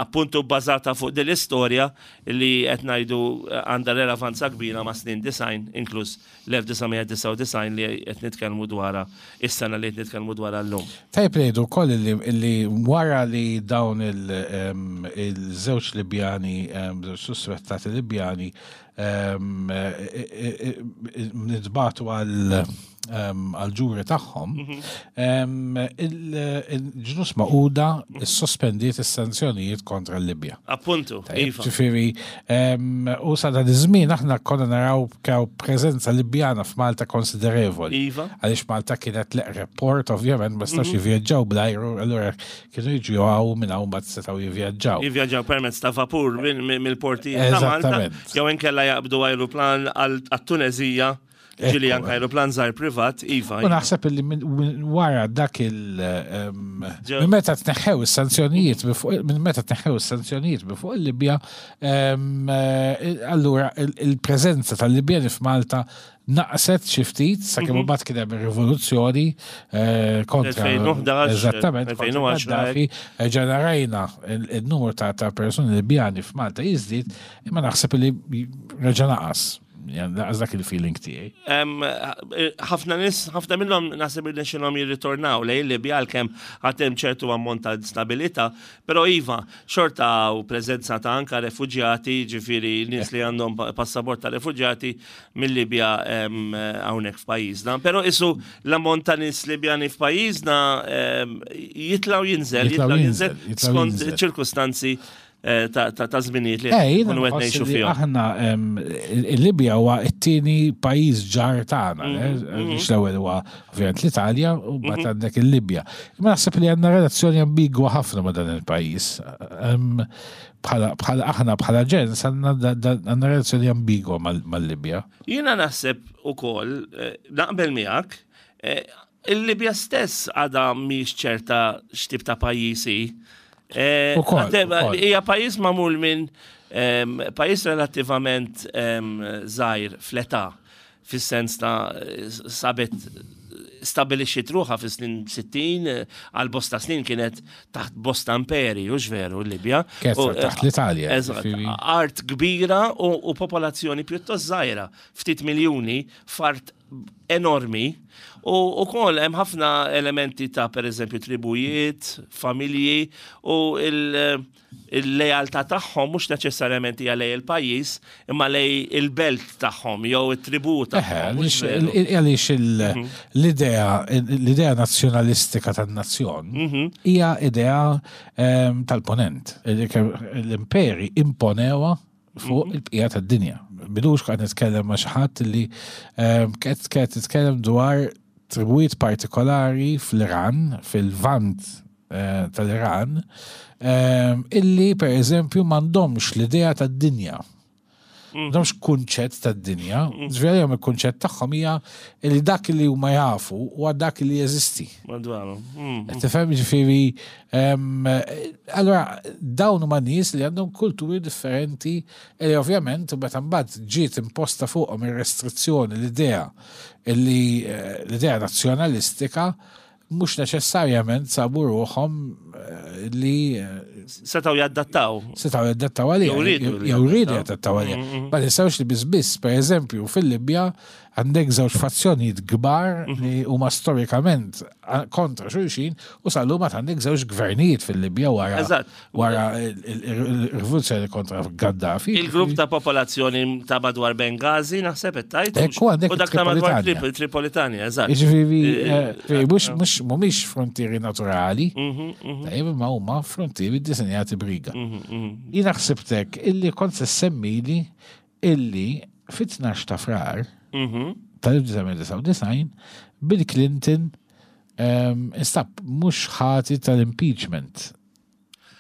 appuntu bbażata fuq din l-istorja li qed ngħidu eh, għandha relevanza kbira ma' snin disgħin, inkluż l-elf disa' mija disgħa u disgħin li qed nitkellmu dwarha, is-sena li qed nitkellmu dwarha llum. Tajb ngħidu wkoll illi illi wara li dawn il- em, il-żewġ Libjani, em, żewġ suspettati Libjani, em, e- e- e- ntbagħtu għal em, għal-ġuri tagħhom, em, il- il-Ġnus Magħquda sospendiet is-sanzjonijiet kontra l-Libja. Appuntu, Tajjeb, iva. Ġifieri, em, u sa dan iż-żmien aħna konna naraw kaw preżenza Libjana f'Malta konsiderevoli. Iva. Għaliex Malta kienet l-eqreb port, ovvjament, ma setgħux jivvjaġġaw bl-ajru, allura kienu jiġu hawn minn hawn mbagħad setgħu jivvjaġġaw. Jivvjaġġaw permezz ta' vapur minn- minn- mill-portijiet ta' Malta, Eżattament. jew inkella jaqbdu ajruplan għal għat-Tunezija, ġieli Ekku. anke ajruplan żgħir privat, iva. U naħseb illi minn minn wara dak il em, Ġew- minn meta tneħħew is-sanzjonijiet minn fuq- minn meta tneħħew is-sanzjonijiet minn fuq il-Libja, em, eh, allura il- il-preżenza tal-Libjani f'Malta naqset xi ftit sakemm imbagħad kien hemm ir-rivoluzzjoni eh, kontra elfejn u ħdax, eżattament kontra elfejn u għaxra, Gaddafi, eh, ġena rajna il- il-numru ta' ta' persuni Libjani f'Malta jiżdied, imma naħseb li reġa' naqas. Naqas dak il-feeling tiegħi. Em, ħafna nies, ħafna minnhom naħseb li xinhom jirritornaw lejn Libja għalkemm għad hemm ċertu ammont ta' stabilità, però iva, xorta u preżenza ta' anka refuġjati, ġifieri nies li għandhom pa- passaport ta' refuġjati mill-Libja em, hawnhekk f'pajjiżna. Però isu l-ammont ta' nies Libjani f'pajjiżna em, jitlaw jinżel, Jitlaw jitlaw jinżel, jinżel jitlaw skont jinżel. ċirkustanzi eh, ta' ta' ta' żminijiet li Eh, jiena nkunu qed nħoss ngħixu li fihom. aħna em, il-Libja huwa t-tieni pajjiż ġar tagħna, Mhm, eh, għaliex l-ewwel huwa ovvjament l-Italja u mbagħad għandek il-Libja. Imma naħseb li għandna relazzjoni ambigwa ħafna ma' dan il-pajjiż. Em, Bħala bħala aħna bħala ġens għandna da- da- għandna relazzjoni ambigwa mal- mal-Libja. Jiena naħseb ukoll, eh, naqbel miegħek, eh, il-Libja stess għadha mhix ċerta x'tip ta' pajjiż hi. Eh, Ukoll, għadem- ukoll. Hija pajjiż magħmul minn em, pajjiż relattivament em, żgħir fl-età, fis-sens ta' sabet stabilixxiet ruħha fis-snin sittin, eh, għal bosta snin kienet taħt bosta imperi, u veru, l-Libja. Kienet U, eh, taħt l-Italja, Eżatt, ġifieri. art kbira u, u popolazzjoni pjuttost żgħira, ftit miljuni, f'art enormi. U ukoll hemm ħafna elementi ta' per eżempju tribujiet, familji u il- il-lealtà tagħhom mhux neċessarjament hija lej il-pajjiż, imma lej il-belt tagħhom jew it-tribu Eħe, tagħhom. Mhux għaliex veru? il- għaliex il- l-idea l-idea nazzjonalistika tan-nazzjon hija idea em, tal-ponent. L-imperi imponewa fuq il-bqija tad-dinja. Bidux qed nitkellem ma' xi ħadd li em, qed qed titkellem dwar tribujiet partikolari fl-Iran, fil-Vant eh, tal-Iran, em, illi per eżempju m'għandhomx l-idea tad-dinja. M'għandhomx kunċett tad-dinja, ġifieri il-kunċett tagħhom hija li dak li huma jafu huwa dak li jeżisti. Madwaru. Mm. Tifhem, ġifieri, em, allora dawn huma nies li għandhom kulturi differenti li ovvjament meta mbagħad ġiet imposta fuqhom ir-restrizzjoni l-idea li eh, l-idea nazzjonalistika mhux neċessarjament sabu ruħhom eh, li eh, Setgħu jaddattaw. setgħu jaddattaw għalija. Jew riedu li Jew riedu jaddattaw. jaddattaw għalija. Ma ninsewx li biss biss, per eżempju, fil-Libja għandek żewġ fazzjonijiet kbar li huma storikament a- kontra xulxin u sal-lum għad għandek żewġ gvernijiet fil-Libja wara Eżatt. wara il- il- il-rivoluzzjoni kontra Gaddafi. Il-grupp ta' popolazzjoni ta' madwar Benghazi, naħseb qed tajt. Ekku, għandek U dak ta' madwar Tripolitanja. Trip- Tripolitanja, eżatt. Ġifieri, eh, mhux mhux mhumiex frontieri naturali, tajjeb, imma huma frontieri disinjati briga. Jiena ħsibtek illi kont se semmili illi fit-tnax ta' Frar tal-elf disa' mija disgħa u disgħin Bill Clinton um, instab mhux ħati tal-impeachment.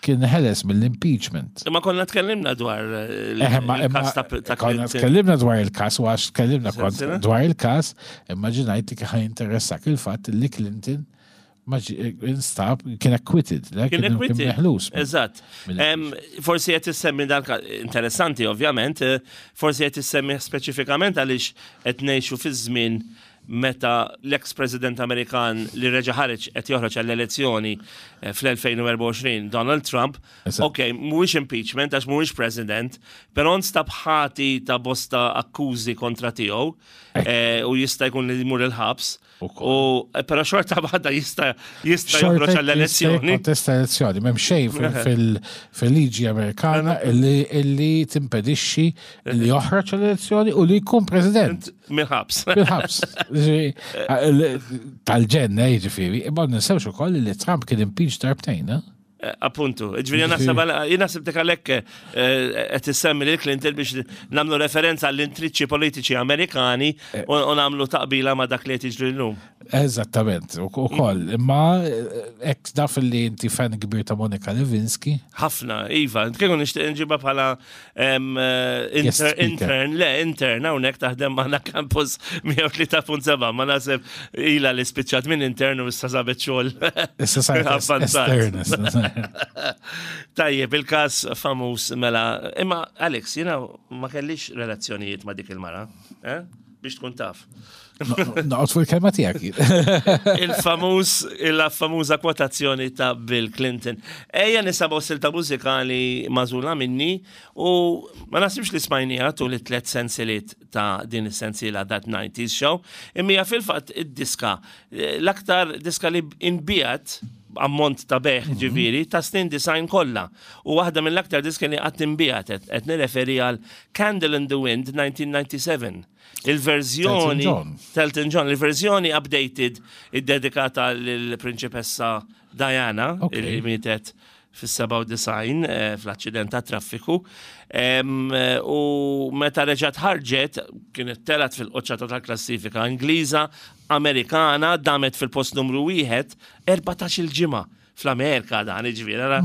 Kien ħeles mill-impeachment. Imma konna tkellimna dwar eh, il- Eh, ma- il-kas imma ta' ta' konna Clinton. tkellimna dwar il-kas u għax tkellimna kont Sensina? dwar il-kas, immaġinajt li kien interessak il-fatt li Clinton ma ġi- instab kien acquitted, le? Kien acquitted. meħlus. Eżatt. mill- Em, Forsi qed issemmi dan interessanti ovvjament, eh, forsi qed issemmi speċifikament għaliex qed ngħixu fi żmien meta l-ex-president Amerikan li reġa' ħareġ qed joħroġ għall-elezzjoni eh, fl-elfejn u erbgħa u għoxrin, Donald Trump, Eżatt. ok, mhuwiex impeachment għax mhuwiex president, però nstab ħati ta' bosta akkużi kontra tiegħu eh, u jista' jkun li jmur il-ħabs. Ukoll. U eh, però xorta waħda jista' jista' joħroġ għall-elezzjoni. Kontesta elezzjoni, m'hemm xejn fil- fil- fil-liġi Amerikana illi illi timpedixxi li joħroġ għall-elezzjoni u li jkun president Mill-ħabs. bil-ħabs. Tal-ġenn, ġifieri, imma ninsewx ukoll li Trump kien impeached darbtejn, eh? Eh, Appuntu, ġifieri naħseb jien naħseb dik għalhekk qed issemmi lil Clinton biex nagħmlu referenza għall-intriċċi politiċi Amerikani u u nagħmlu taqbila ma' dak li qed jiġri llum. Eżattament, u koll. Imma ek naf li inti fan kbir ta' Monica Lewinsky. Ħafna, Iva, kieku nixtieq nġibha bħala em, eh, Guest inter, speaker. intern, le, intern, hawnhekk taħdem magħna Campus mija u tlieta punt sebgħa, ma naħseb ila li spiċċat minn intern u issa sabet xogħol. Issa saret Avvanzat. estern. Tajjeb, il-kas famuż mela, imma Alex, jiena ma kellix relazzjonijiet ma dik il-mara, eh? Biex tkun taf. Noqgħod fuq il-kelma tiegħek. Il-famuż, il-famuża kwotazzjoni ta' Bill Clinton. Ejja nisimgħu silta mużikali magħżula minni u ma naħsibx li smajnieha tul it-tlet sensiliet ta' din is-sensiela That nineties Show, imma hija fil-fatt id-diska, l-aktar diska li inbiegħet ammont ta' bejgħ, ġifieri, ta' snin disgħin kollha. U waħda mill-aktar diska li qatt inbiegħet, qed nirreferi għal Candle in the Wind elf disa' mija u disgħa u sebgħin. Il-verżjoni Elton John. Elton John, il-verżjoni updated id-dedikata lill-Prinċipessa Diana, Ok. li mietet fis-sebgħa u disgħin eh, fl-aċċident ta' traffiku. Em, eh, U meta reġgħet ħarġet, kienet telgħet fil-qoċċata tal-klassifika Ingliża, Amerikana, damet fil-post numru wieħed erbatax-il ġimgħa fl-Amerika dan, ġifieri, ara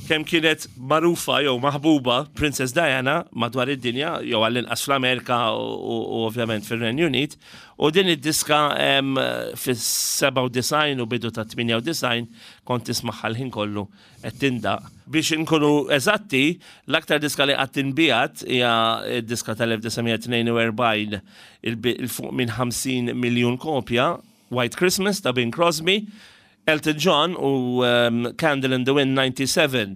kemm kienet magħrufa jew maħbuba Princess Diana madwar id-dinja, jew għall-inqas fl-Amerika u, u, u ovvjament fir-Renju Unit. U din id-diska em, fis-sebgħa u disgħin u bidu ta' tmienja u disgħin kont tismagħha l-ħin kollu qed tindaqq. Biex inkunu eżatti, l-aktar diska li qatt inbiegħet hija d-diska tal-elf disa' mija tnejn u erbgħin il fuq minn ħamsin miljun kopja, White Christmas ta' Bing Crosby. Elton John u um, Candle in the Wind disgħa u sebgħin,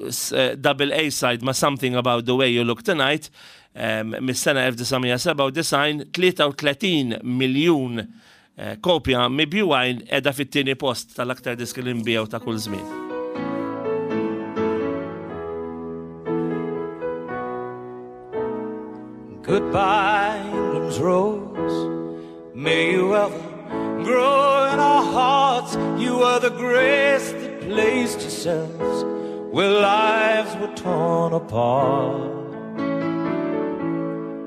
s- eh, double A-side ma' Something About the Way You Look Tonight, um, mis-sena elf disa' mija sebgħa u disgħin, tlieta u tletin miljun eh, kopja mibjugħin, qiegħda fit-tieni post tal-aktar diski li nbiegħu ta' kull żmien. Goodbye, England's rose. May you ever grow in our hearts. You are the grace that placed yourselves where lives were torn apart.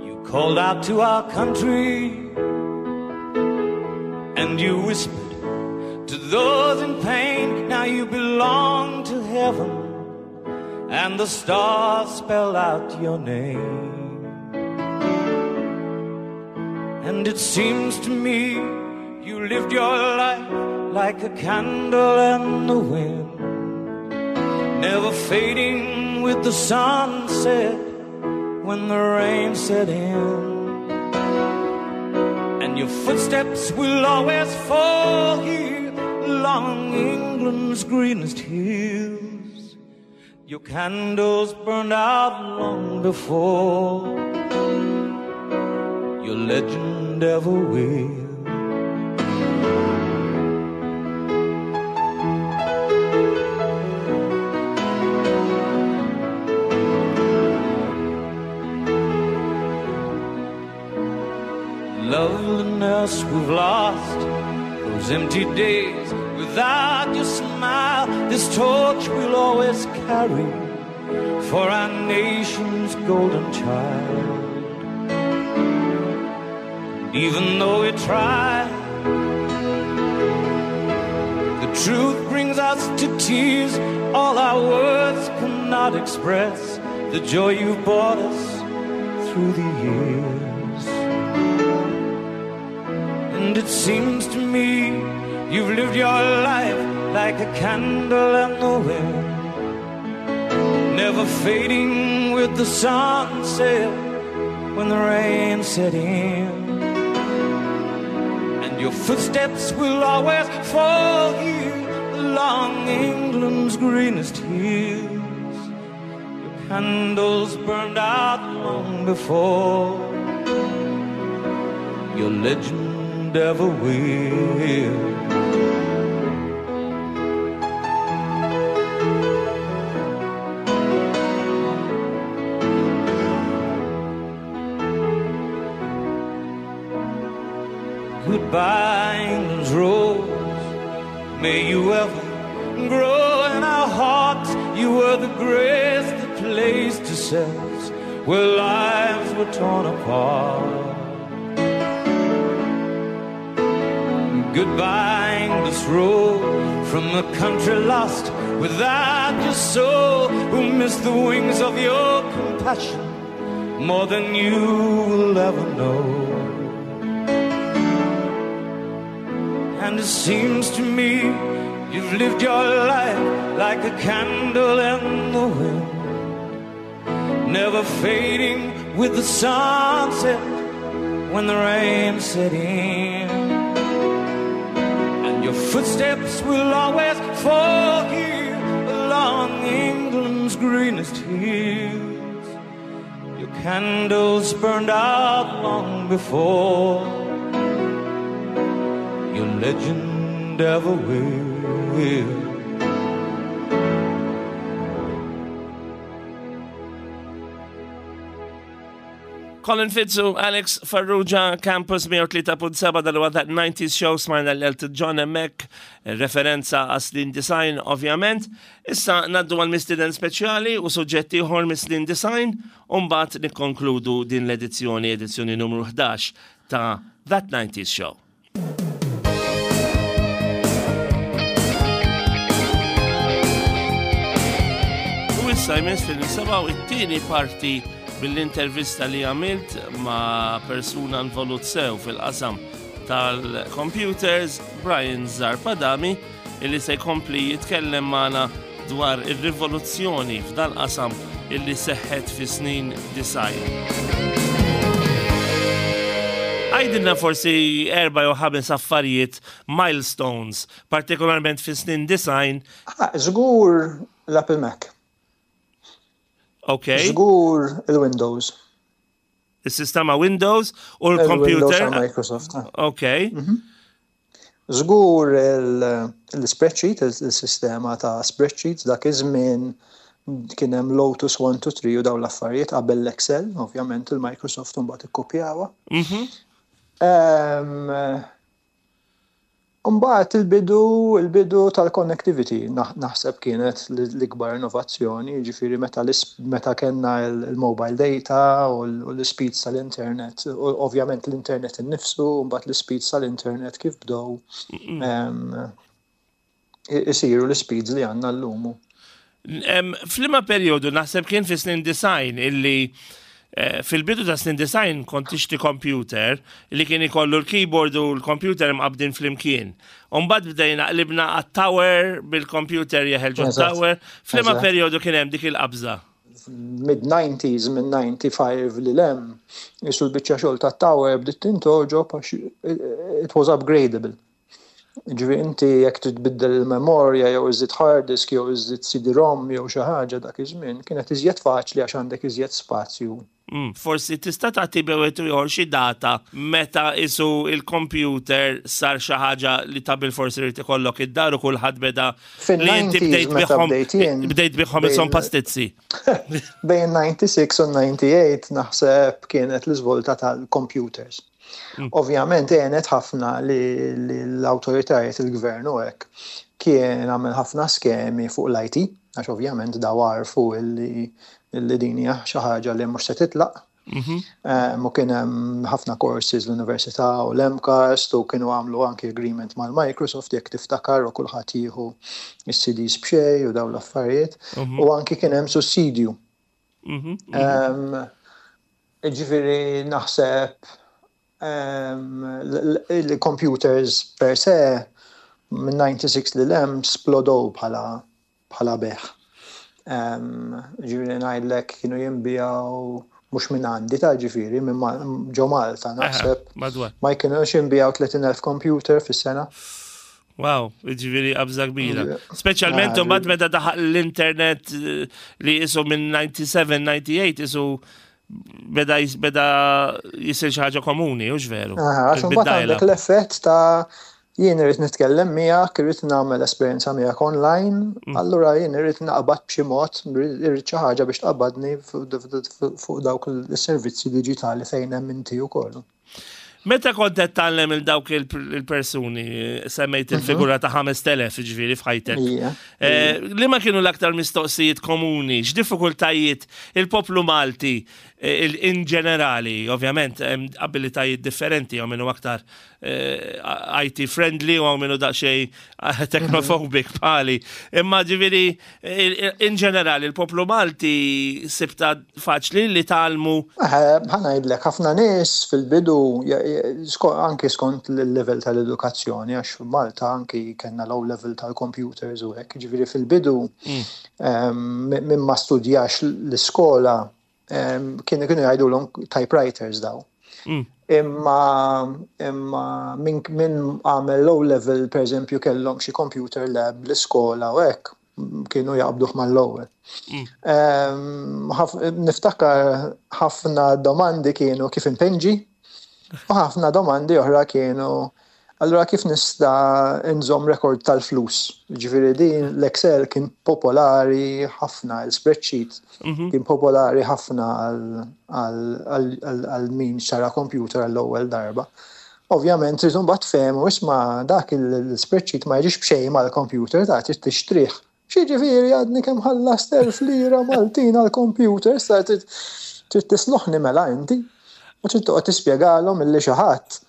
You called out to our country and you whispered to those in pain. Now you belong to heaven and the stars spell out your name. And it seems to me you lived your life like a candle in the wind, never fading with the sunset when the rain set in. And your footsteps will always fall here along England's greenest hills. Your candles burned out long before your legend ever will. Loveliness we've lost, those empty days without your smile. This torch we'll always carry for our nation's golden child. Even though we try, the truth brings us to tears. All our words cannot express the joy you've brought us through the years. And it seems to me you've lived your life like a candle in the wind, never fading with the sunset when the rain set in. And your footsteps will always fall here along England's greenest hills. Your candles burned out long before your legend ever will. May you ever grow in our hearts. You were the grace that placed yourselves where lives were torn apart. Goodbye, English road from the country lost without your soul, who missed the wings of your compassion more than you will ever know. And it seems to me you've lived your life like a candle in the wind, never fading with the sunset when the rain set in. And your footsteps will always fall here along England's greenest hills. Your candles burned out long before your legend ever will. Colin Fitzu, Alex Farrugia, Campus mija u tlieta punt seba dal-huwa That nineties Show, smajna l-Elton John hemmhekk, referenza għas-snin design, ovvjament. Issa naddu għal mistieden speċjali u suġġetti ieħor mis-snin design, u mbagħad nikkonkludu din l-edizzjoni, edizzjoni numru ħdax ta' That nineties Show. U issa jmiss li nisimgħu it-tieni parti mill-intervista li għamilt ma' persuna involut sew fil-qasam tal-computers, Brian Zarb Adami, illi se jkompli jitkellem magħna dwar ir-rivoluzzjoni f'dan qasam illi seħħet fi snin design. Għajdilna forsi erba' jew ħames affarijiet, milestones, partikolarment fi snin design. Ah, żgur l-Apple Mac. Ok. Żgur il-Windows. Il-sistema Windows u l-computer. Il-Windows ta' Microsoft. Ok. Mhm. Żgur il-spreadsheet, il-sistema ta' spreadsheets, dak iż-żmien kien hemm Lotus one two three u dawn l-affarijiet qabel l-Excel, ovvjament il-Microsoft mbagħad ikkopjawha. Mhm. Ehm, Mbagħad il-bidu, il-bidu tal-connectivity naħ-, naħseb kienet l-, l-ikbar innovazzjoni, jiġifieri meta l-is-, meta kellna il-, il-mobile data u l-, u l-speeds tal-internet, u ovvjament l-internet innifsu, u mbagħad l-speeds tal-internet kif bdew, Mm-mm. ehm, i-, isiru l-speeds li għandna llum. Em, F'liema perjodu naħseb kien fi snin design illi, eh, fil-bidu ta' snin design kont tixtri computer li kien ikollu l-keyboard u l-computer mqabdin flimkien. U mbagħad bdejna qlibna għat-tower bil-computer jeħel ġo Eżatt. tower. F'liema Eżatt. perjodu kien hemm dik il-qabża? Mid-nineties, minn ninety-five li lem, jisu l-biċċa xogħol tat-tower bdiet tintoġob għax it was upgradable. Ġifieri inti jekk trid tbiddel il-memorja jew iżid hard disk jew iżid C D-ROM jew xi ħaġa dak iż-żmien kienet iżjed faċli għax għandek iżjed spazju. Mm, forsi tista' tagħti bewet ieħor xi data meta isu il-computer sar xi ħaġa li ta' bil-forsi irid ikollok id-dar u kulħadd beda li inti Fin-nineties bdejt meta biħhom bdejt jien, bdejt biħhom isom bejn pastizzi. Bejn ninety-six u ninety-eight naħseb kienet l-iżvolta tal-computers. Mm. Ovvjament għenet ħafna li, li l-awtoritajiet il-gvern u hekk kien għamel ħafna skemi fuq l-I T, għax ovvjament daw għarfu illi, illi din hija xi ħaġa li mhux se titlaq. Mhm. Ehm, u kien hemm ħafna courses l-università u l-MCAST u kienu għamlu anki agreement mal-Microsoft jekk tiftakar u kulħadd jieħu is-C Ds b'xejn u dawn l-affarijiet. Mhm. U anki kien hemm sussidju. Mhm. Ehm, ġifieri naħseb, ehm, l-, l-, il-computers per se minn ninety-six li l-hemm splodow bħala, bħala beħ. Ehm, ġifieri ngħidlek kienu jinbijaw mhux minn għandi ta' ġifieri, minn Ma-, ġo Malta, Aha, naħseb. madwar. Ma jkienux jinbijaw tletin elf computer fis-sena. Wow, ġifieri qabża kbira. Ġifieri. Speċjalment Ah, imbagħad ġifieri. meta daħal l-internet, eh, li isu minn ninety-seven, ninety-eight, isu beda jis-, beda jisir xi ħaġa komuni, hux veru? Aha, għax imbagħad Bid-dajla. għandek l-effett ta' jien irrid nitkellem miegħek, irrid nagħmel esperjenza miegħek online, Mm. allura jien irrid naqbad b'xi mod, irrid xi ħaġa biex tqabbadni fuq, fuq, fuq dawk is-servizzi diġitali fejn hemm inti wkoll. Meta kont qed tgħallem il dawk il-persuni, semmejt il-figura ta' ħamest elef, ġifieri, f'ħajtek. Ija. Eh, Li ma kienu l-aktar mistoqsijiet komuni, x'diffikultajiet il-poplu Malti eh, il- in ġenerali, ovvjament, hemm abilitajiet differenti, hawn minnu aktar eh, I T friendly u hawn minnu daqsxejn technophobic bħali. Imma ġifieri, il- in ġenerali, il-poplu Malti sibta faċli li tgħallmu? Ħa ngħidlek, ħafna nies fil-bidu, ja- ja- sko- anki skont il-level tal-edukazzjoni, għax Malta anki kellna low level tal-computers u hekk, ġifieri fil-bidu em, min ma studjax l-iskola em, kienu kienu jgħidulhom typewriters daw. Mm. Imma imma min min għamel low level, per eżempju, kellhom xi computer lab l-iskola u hekk, kienu jaqbduh mal-ewwel. Em, ħaf- Niftakar ħafna domandi kienu kif inpinġi u ħafna domandi oħra kienu allura kif nista' nżomm rekord tal-flus. Ġifieri din l-Excel kien popolari ħafna, il-spreadsheet kien popolari ħafna għal- għal- għal għal min xtara computer għall-ewwel darba. Ovvjament, trid mbagħad fehmu, isma', dak il-spreadsheet ma jiġix b'xejn mal-computer, ta' trid tixtrih. X'jiġifieri, għadni kemm ħallast elf lira Maltin għal-computer, sa trid trid tisloħni mela inti. U trid toqgħod tispjegalhom illi xi ħadd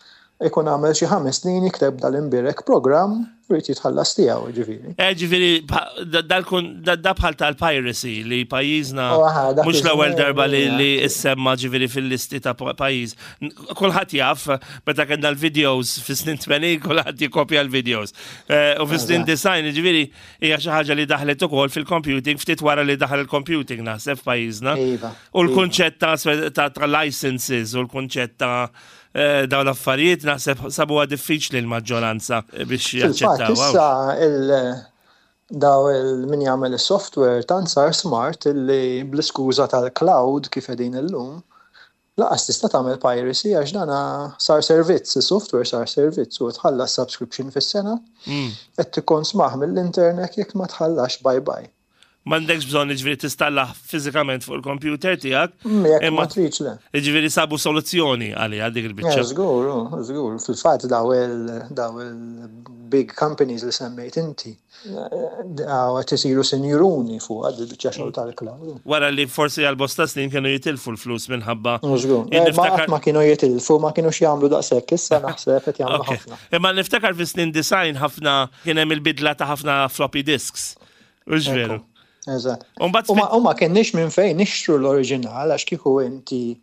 ikun għamel xi ħames snin jikteb dal-imbirek program u jrid jitħallas tiegħu, ġifieri. Eh, ġifieri, pa- da- dal-kun- da da bħal tal-piracy li pajjiżna Oh, aha, dak mhux l-ewwel iż-żmien, darba li, ija. li issemma ġifieri fil-listi ta' pa- pajjiż. N- Kulħadd jaf, meta kellna l-videos fis-snin tmenin, kulħadd jikopja l-videos. Eh, U fis-snin disgħin, ġifieri, hija xi ħaġa li daħlet ukoll fil-computing ftit wara li daħal il-computing, naħseb, f'pajjiżna. Iva, U l-kunċett ta' ta' ta' licenses u l-kunċett ta' eh, dawn l-affarijiet naħseb sabuha diffiċli l-maġġoranza biex Fil-fatt, jaċċettaw. issa il daw il min jagħmel is-software tant sar smart illi bl-iskuża tal-cloud kif qegħdin illum lanqas tista' tagħmel piracy, għax dana sar servizz, is-software sar servizz u tħallas subscription fis-sena, Mm. qed tikkonsmah mill-internet, jekk ma tħallax, bye bye. M'għandekx bżonn ġifieri tistallah fiżikament fuq il-computer tiegħek. Mm, Jekk Imma ma tridx, le. Ġifieri sabu soluzzjoni għalija dik Ja, il-biċċa. Żgur, oh, żgur. Fil-fatt daw il daw il-big companies li semmejt inti, daw qed isiru sinjuruni fuq għad il-biċċa xogħol tal-cloud. Wara li forsi għal bosta snin kienu jitilfu l-flus minħabba. Oh, Żgur. Jien Eh, Ma niftakar- qatt ma kienu jitilfu, ma kienux jagħmlu daqshekk, issa naħseb qed jagħmlu Ok. ħafna. Imma niftakar fi snin disgħin ħafna kien hemm il-bidla ta' ħafna floppy disks. Ux veru? Eżatt. U mbagħad U ma- U ma kenniex minn fejn nixtru l-oriġinal, għax kieku inti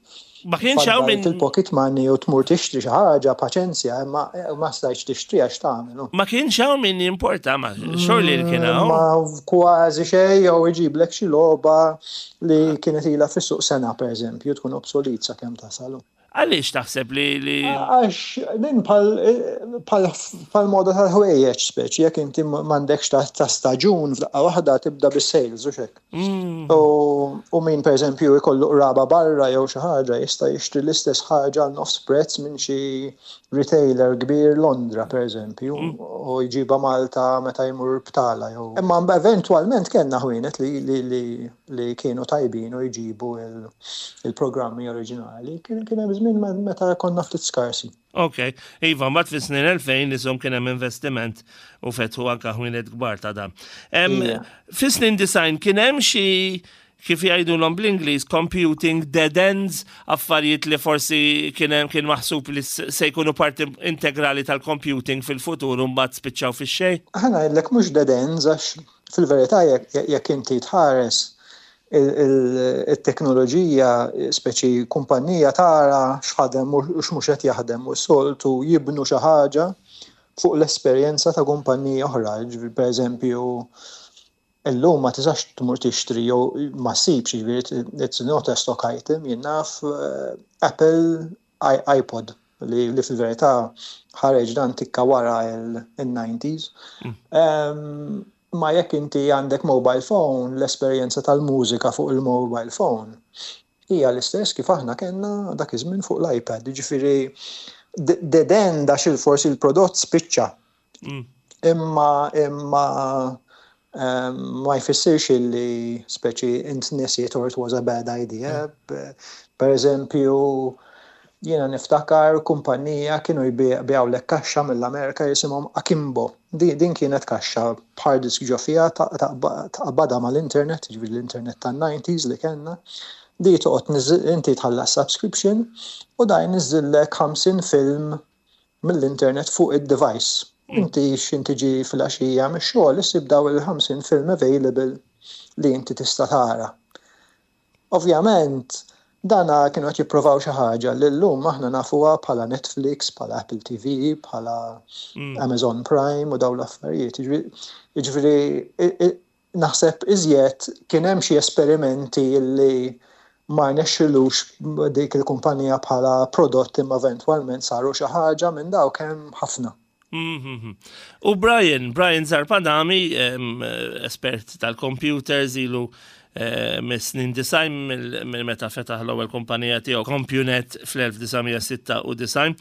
ma kienx hawn minn il-pocket money u tmur tixtri xi ħaġa, paċenzja, imma ma stajtx tixtri għax tagħmel. Ma kienx hawn min jimporta, ma xorli li kien hawn. Ma kważi xejn, jew iġiblek xi logħba li kienet ilha fis-suq sena, pereżempju, tkun obsolet sakemm tasalu. Għaliex taħseb li li Għax din pal pal pal moda tal-ħwejjeġ, speċi jekk inti m'għandekx ta' ta' staġun, f'daqqa waħda tibda bis-sales u xek. Mm, U, u min per eżempju jkollu qraba barra jew xi ħaġa jista' jixtri l-istess ħaġa għal nofs prezz minn xi retailer kbir Londra, per eżempju, u jġiba Malta meta jmur btala jew. Imma eventwalment kellna ħwienet li, li, li, li kienu tajbin u jġibu il- il-programmi oriġinali. Kien kien hemm żmien meta konna ftit skarsi. Ok, iva, mbagħad fi snin elfejn nisom kien hemm investiment u fetħu anka ħwienet kbar ta' dan. Em, Ija. Fi snin disgħin kien hemm xi, kif jgħidulhom bl-Ingliż, computing dead ends, affarijiet li forsi kien hemm kien maħsub li s- se jkunu parti integrali tal-computing fil-futur u mbagħad spiċċaw fix-xejn? Ħa ngħidlek, mhux dead ends, għax fil-verità jekk jekk inti tħares il-teknoloġija, speċi kumpanija tara x'ħadem u x'mhux qed jaħdem u soltu jibnu xi ħaġa fuq l-esperjenza ta' kumpanija oħra. Ġifieri, per eżempju, illum ma tistax tmur tixtri jew ma ssibx, ġifieri it's not a stock item, jien naf, eh, Apple iPod li, li fil-verità ħareġ dan tikka wara il-nineties. Um, ma jekk inti għandek mobile phone, l-esperjenza tal-mużika fuq il-mobile phone hija l-istess kif aħna kellna dak iż-żmien fuq l-iPad. Ġifieri dead end għax il-forsi il-prodott spiċċa. Mm. Imma imma um, ma jfissirx illi speċi int nesiet or it was a bad idea. Per eżempju, Jiena niftakar kumpanija kienu jbigħulek kaxxa mill-Amerika jisimhom Akimbo. Din kienet kaxxa b'hard disk ġo fiha, taqbadha mal-internet, ġifieri l-internet tan-nineties li kellna. Di toqgħod inti tħallas subscription u da jniżżillek ħamsin film mill-internet fuq id-device. Inti x'ħin tiġi fil-għaxija mix-xogħol issib daw il-ħamsin film available li inti tista' tara. Ovvjament, dana kienu qed jippruvaw xi ħaġa li llum aħna nafuha bħala Netflix, bħala Apple T V, bħala mm. Amazon Prime u dawn l-affarijiet. Jiġifieri naħseb iżjed kien hemm xi esperimenti li ma rnexxilux dik il-kumpanija bħala prodott, imma eventwalment saru xi ħaġa minn dawk hemm ħafna. Mhm. U Brian, Brian Zarb Adami, espert tal-computers, ilu eh, mis-snin disgħin, minn meta fetaħ l-ewwel kumpanija tiegħu CompuNet fl-elf disa' mija sitta u disgħin.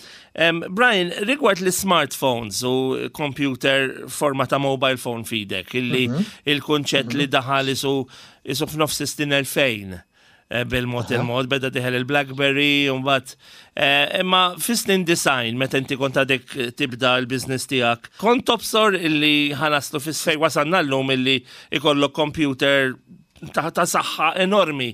Brian, rigward l-smartphones u computer forma ta' mobile phone f'idek, illi mhm. il-kunċett li daħal isu isu f'nofs snin elfejn eh, bil-mod il-mod, beda dieħel il-BlackBerry, un-bat. Eh, imma fis-snin disgħin, meta inti kont għadek tibda l-biznis tiegħek, kont tobsor illi ħa naslu fis-sej wasalna llum illi ikollok computer ta' ta' saħħa enormi,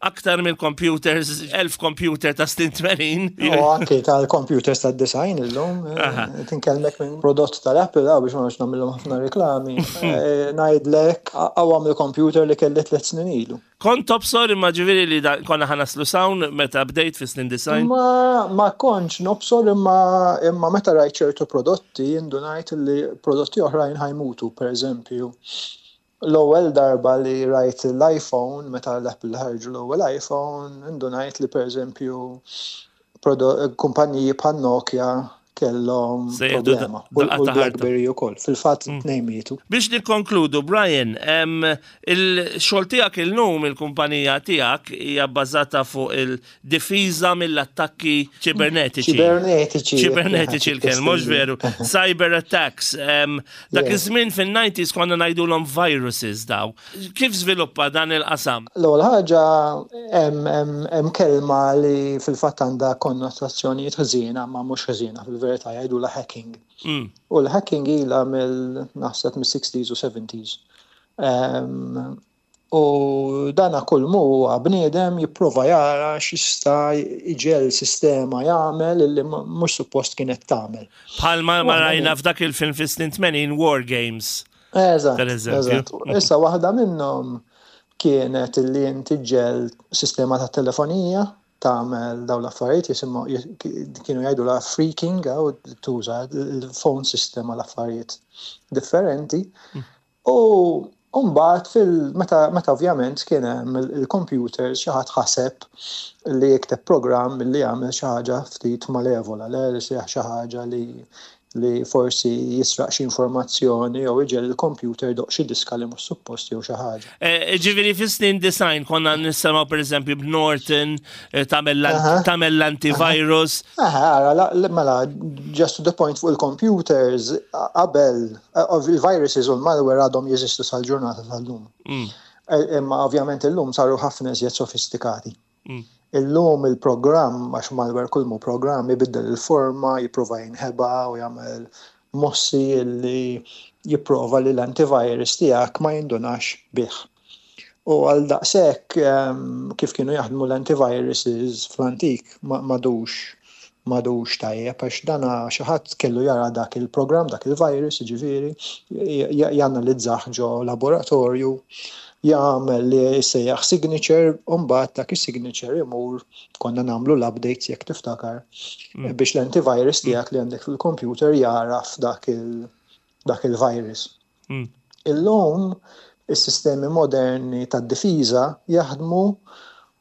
aktar mill-computers, elf computer ta' snin tmenin? U anki tal-computers ta' disgħin illum, eh, tinkellmek minn prodott tal-Apple, għaw biex ma nagħmilhom ħafna reklami, eh, ngħidlek aqwa mill-computer li kelli tliet snin ilu. Kont tobsor imma ġifieri li da- konna ħa naslu s'hawn meta bdejt fi snin disgħin? Ma, ma kontx nobsor, imma, imma meta rajt ċertu prodotti indunajt li prodotti oħrajn ħa jmutu. Per eżempju, l-ewwel darba li rajt l-iPhone, meta l-Apple ħarġu l-ewwel iPhone, indunajt li, per eżempju, kumpaniji bħal Nokia kellhom Se jieħdu problema. U daqqa u ta' ħarta. l-BlackBerry ukoll. Fil-fatt tnejn mietu. Biex nikkonkludu, Brian, em, il-xogħol tiegħek illum, il-kumpanija tiegħek hija bbażata fuq il-difiża mill-attakki ċibernetiċi. Ċibernetiċi. Ċibernetiċi il-kelma, mhux veru? Cyber attacks. Em, dak Yeah. iż-żmien fin-nineties konna ngħidulhom viruses daw. Kif żviluppa dan il-qasam? L-ewwel ħaġa, hemm hemm hemm kelma li fil-fatt għandha konnotazzjonijiet ħżiena, ma mhux ħżiena fil-verità, jgħidulha hacking. Mm. U l-hacking ilha mill naħseb mis-sixties u seventies. Um, u dana kull mu huwa bniedem jipprova jara x'jista' iġiegħel sistema jagħmel illi mhux suppost kienet tagħmel. Bħalma ma Waħda rajna f'dak il-film fis-snin tmenin, War Games. Eżatt, Per eżempju. eżatt. Issa waħda minnhom kienet illi inti ġġiegħel sistema ta' telefonija tagħmel dawn l-affarijiet jisimgħu, kienu jgħidu la phreaking, għaw tuża il-phone system għal affarijiet differenti. U mbagħad fil meta meta ovvjament kien hemm il- il-computers, xi ħadd ħaseb li jikteb programm li jagħmel xi ħaġa ftit malevola, le li xi ħaġa li li forsi jisraq xi informazzjoni jew iġiegħel il-computer jdoqq xi diska li mhux suppost jew xi ħaġa. Eh, Ġifieri fis-snin disgħin konna nisimgħu, per eżempju, b'Norton eh, tagħmel l- Aha. tagħmel l-antivirus. Aha, ara, la- la- mela, just to the point fuq il-computers, qabel, eh, il-viruses u l-malware għadhom jeżistu sal-ġurnata tal-lum. Mm. Eh, Imma ovvjament illum saru ħafna iżjed sofistikati. Mm. Illum il-programm, għax malware kull mu programm, ibiddel il-forma, jipprova jinħeba u jagħmel mossi li jipprova li l-antivirus tiegħek ma jindunax bih. U għal daqshekk em, kif kienu jaħdmu l-antiviruses fl-antik ma- m'għadux m'għadux tajjeb, għax dana xi ħadd kellu jara dak il-programm, dak il-virus, ġifieri, janalizzah ġo laboratorju, jagħmel li jsejjaħ signature, u mbagħad dak is-signature imur, konna nagħmlu l-updates jekk tiftakar, biex l-antivirus tiegħek li għandek fil-computer jaraf dak il dak il-virus. Mm. Illum is-sistemi moderni tad-difiża jaħdmu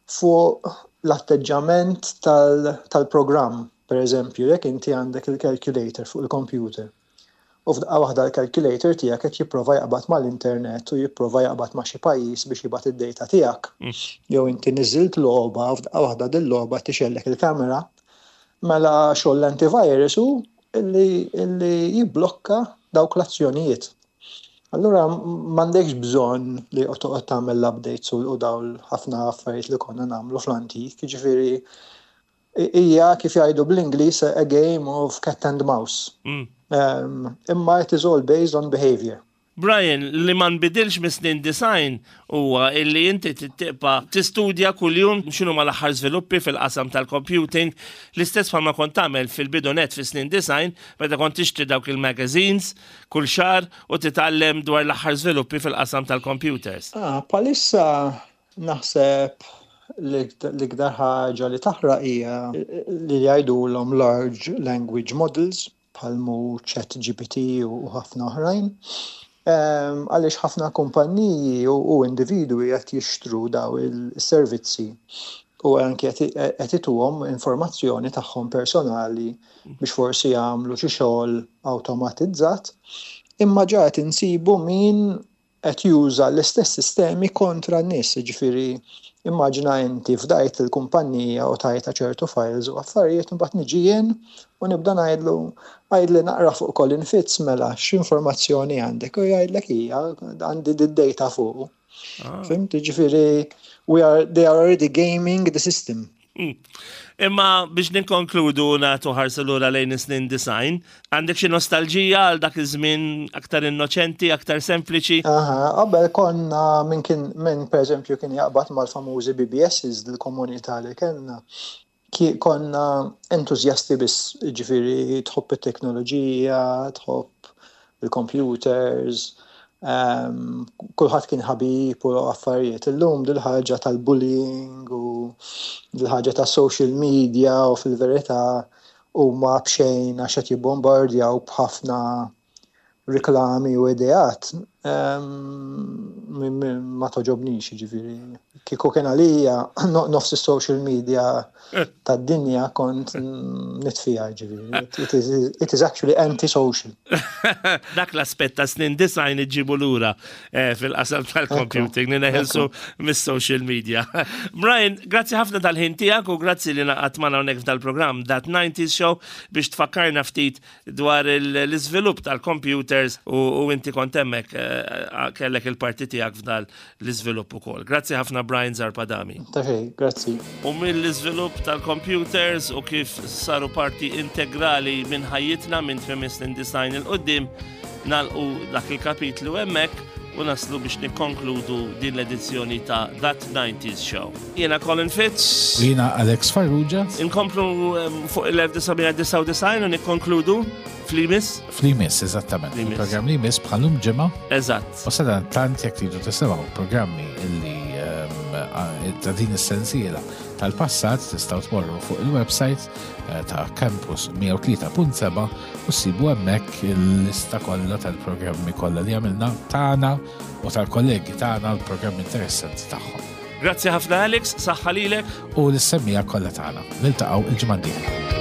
fuq l-atteġġament tal- tal-programm. Per eżempju, jekk inti għandek il-calculator fuq il-computer, u f'daqqa waħda l-calculator tiegħek qed jipprova jaqbad mal-internet u jipprova jaqbad ma' xi pajjiż biex jibgħat id-data tiegħek. Jew inti niżilt logħba u f'daqqa waħda din logħba tixgħellek il-kamera, mela xogħol l-antivirus hu illi, illi jibblokka dawk l-azzjonijiet. Allura m'għandekx bżonn li toqgħod tagħmel l-updates u u dawn ħafna affarijiet li konna nagħmlu fl-antik, jiġifieri Hija, kif jgħidu bl-Ingliż, a game of cat and mouse. Mm. Um, imma it is all based on behavior. Brian, li ma nbidilx mis-snin disgħin huwa illi inti tibqa' tistudja kuljum x'inhu l-aħħar żviluppi fil-qasam tal-computing, l-istess bħalma kont tagħmel fil-bidu net fis-snin disgħin meta kont tixtri dawk il-magazines kull xahar u titgħallem dwar l-aħħar żviluppi fil-qasam tal-computers. Ah, bħalissa naħseb l-iktar ħaġa li taħraq hija li jgħidulhom large language models, bħalma Chat G P T u ħafna oħrajn. Għaliex ħafna kumpanniji u individwi qed jixtru daw il-servizzi u anke qed ituhom informazzjoni tagħhom personali biex forsi jagħmlu xi xogħol awtomatizzat, imma ġa qed insibu min qed juża l-istess sistemi kontra n-nies, ġifieri immaġina inti fdajt il-kumpanija u tajta ċertu files u affarijiet, mbagħad niġi jien u nibda ngħidlu, "Għidli naqra fuq Colin Fitz, mela x'informazzjoni għandek?" U jgħidlek, "Hija, għandi d-data fuq." Ah. Fhimt, ġifieri we are they are already gaming the system. Mm. Imma biex ninkonkludu, nagħtu ħarsa lura lejn is-snin disgħin, għandek xi nostalġija għal dak iż-żmien aktar innoċenti, aktar sempliċi? Aha, qabel konna minn kien minn pereżempju kien jaqbad mal-famużi B B Ss, dil-komunità li kellna. Konna entużjasti biss, ġifieri tħobb it-teknoloġija, tħobb il-computers, um, kulħadd kien ħabib u affarijiet. Illum dil-ħaġa tal-bullying u dil-ħaġa ta' social media u fil-verità huma b'xejn għax qed jibbombardjaw b'ħafna riklami u ideat ma togħġobnix, ġifieri. Kieku kien għalija, nofs social media tad-dinja kont nitfija, ġifieri. It is, it is actually anti-social. Dak l-aspett ta' snin disgħin iġibu lura eh, fil-qasam tal-computing, li neħelsu mis-social media. Brian, grazzi ħafna tal-ħin tiegħek u grazzi li ngħaqadt magħna hawnhekk f'dal-programm That nineties Show biex tfakkarna ftit dwar l-iżvilupp tal-computers u inti kont hemmhekk, eh, kellek il-parti tiegħek f'dal l-iżvilupp ukoll. Grazzi ħafna, Brian Zarb Adami. Ta' xejn, grazzi. U mill-iżvilupp tal-computers u kif saru parti integrali minn ħajjitna minn tmiem is-snin disgħin 'il quddiem, nagħlqu dak il-kapitlu hemmhekk u naslu biex nikkonkludu din l-edizzjoni ta' That nineties Show. Jiena Colin Fitz. U jiena Alex Farrugia. Inkomplu fuq il-elf disa' mija disgħa u disgħin u nikkonkludu fl-imiss. Fl-imiss, eżattament. Il-programm li jmiss bħal-lum ġimgħa. Eżatt. U sadanittant, jekk tridu tisimgħu programmi illi ta' din is-sensiela tal-passat, tistgħu tmorru fuq il-website eh, ta' Campus mija u tlieta punt seba' u ssibu hemmhekk il-lista kollha tal-programmi kollha li għamilna tagħna u tal-kollegi tagħna, l-programmi interessanti tagħhom. Grazzi ħafna, Alex, saħħa lilek. U lis-semmiegħa kollha tagħna. Niltaqgħu il-ġimgħa d-dieħla.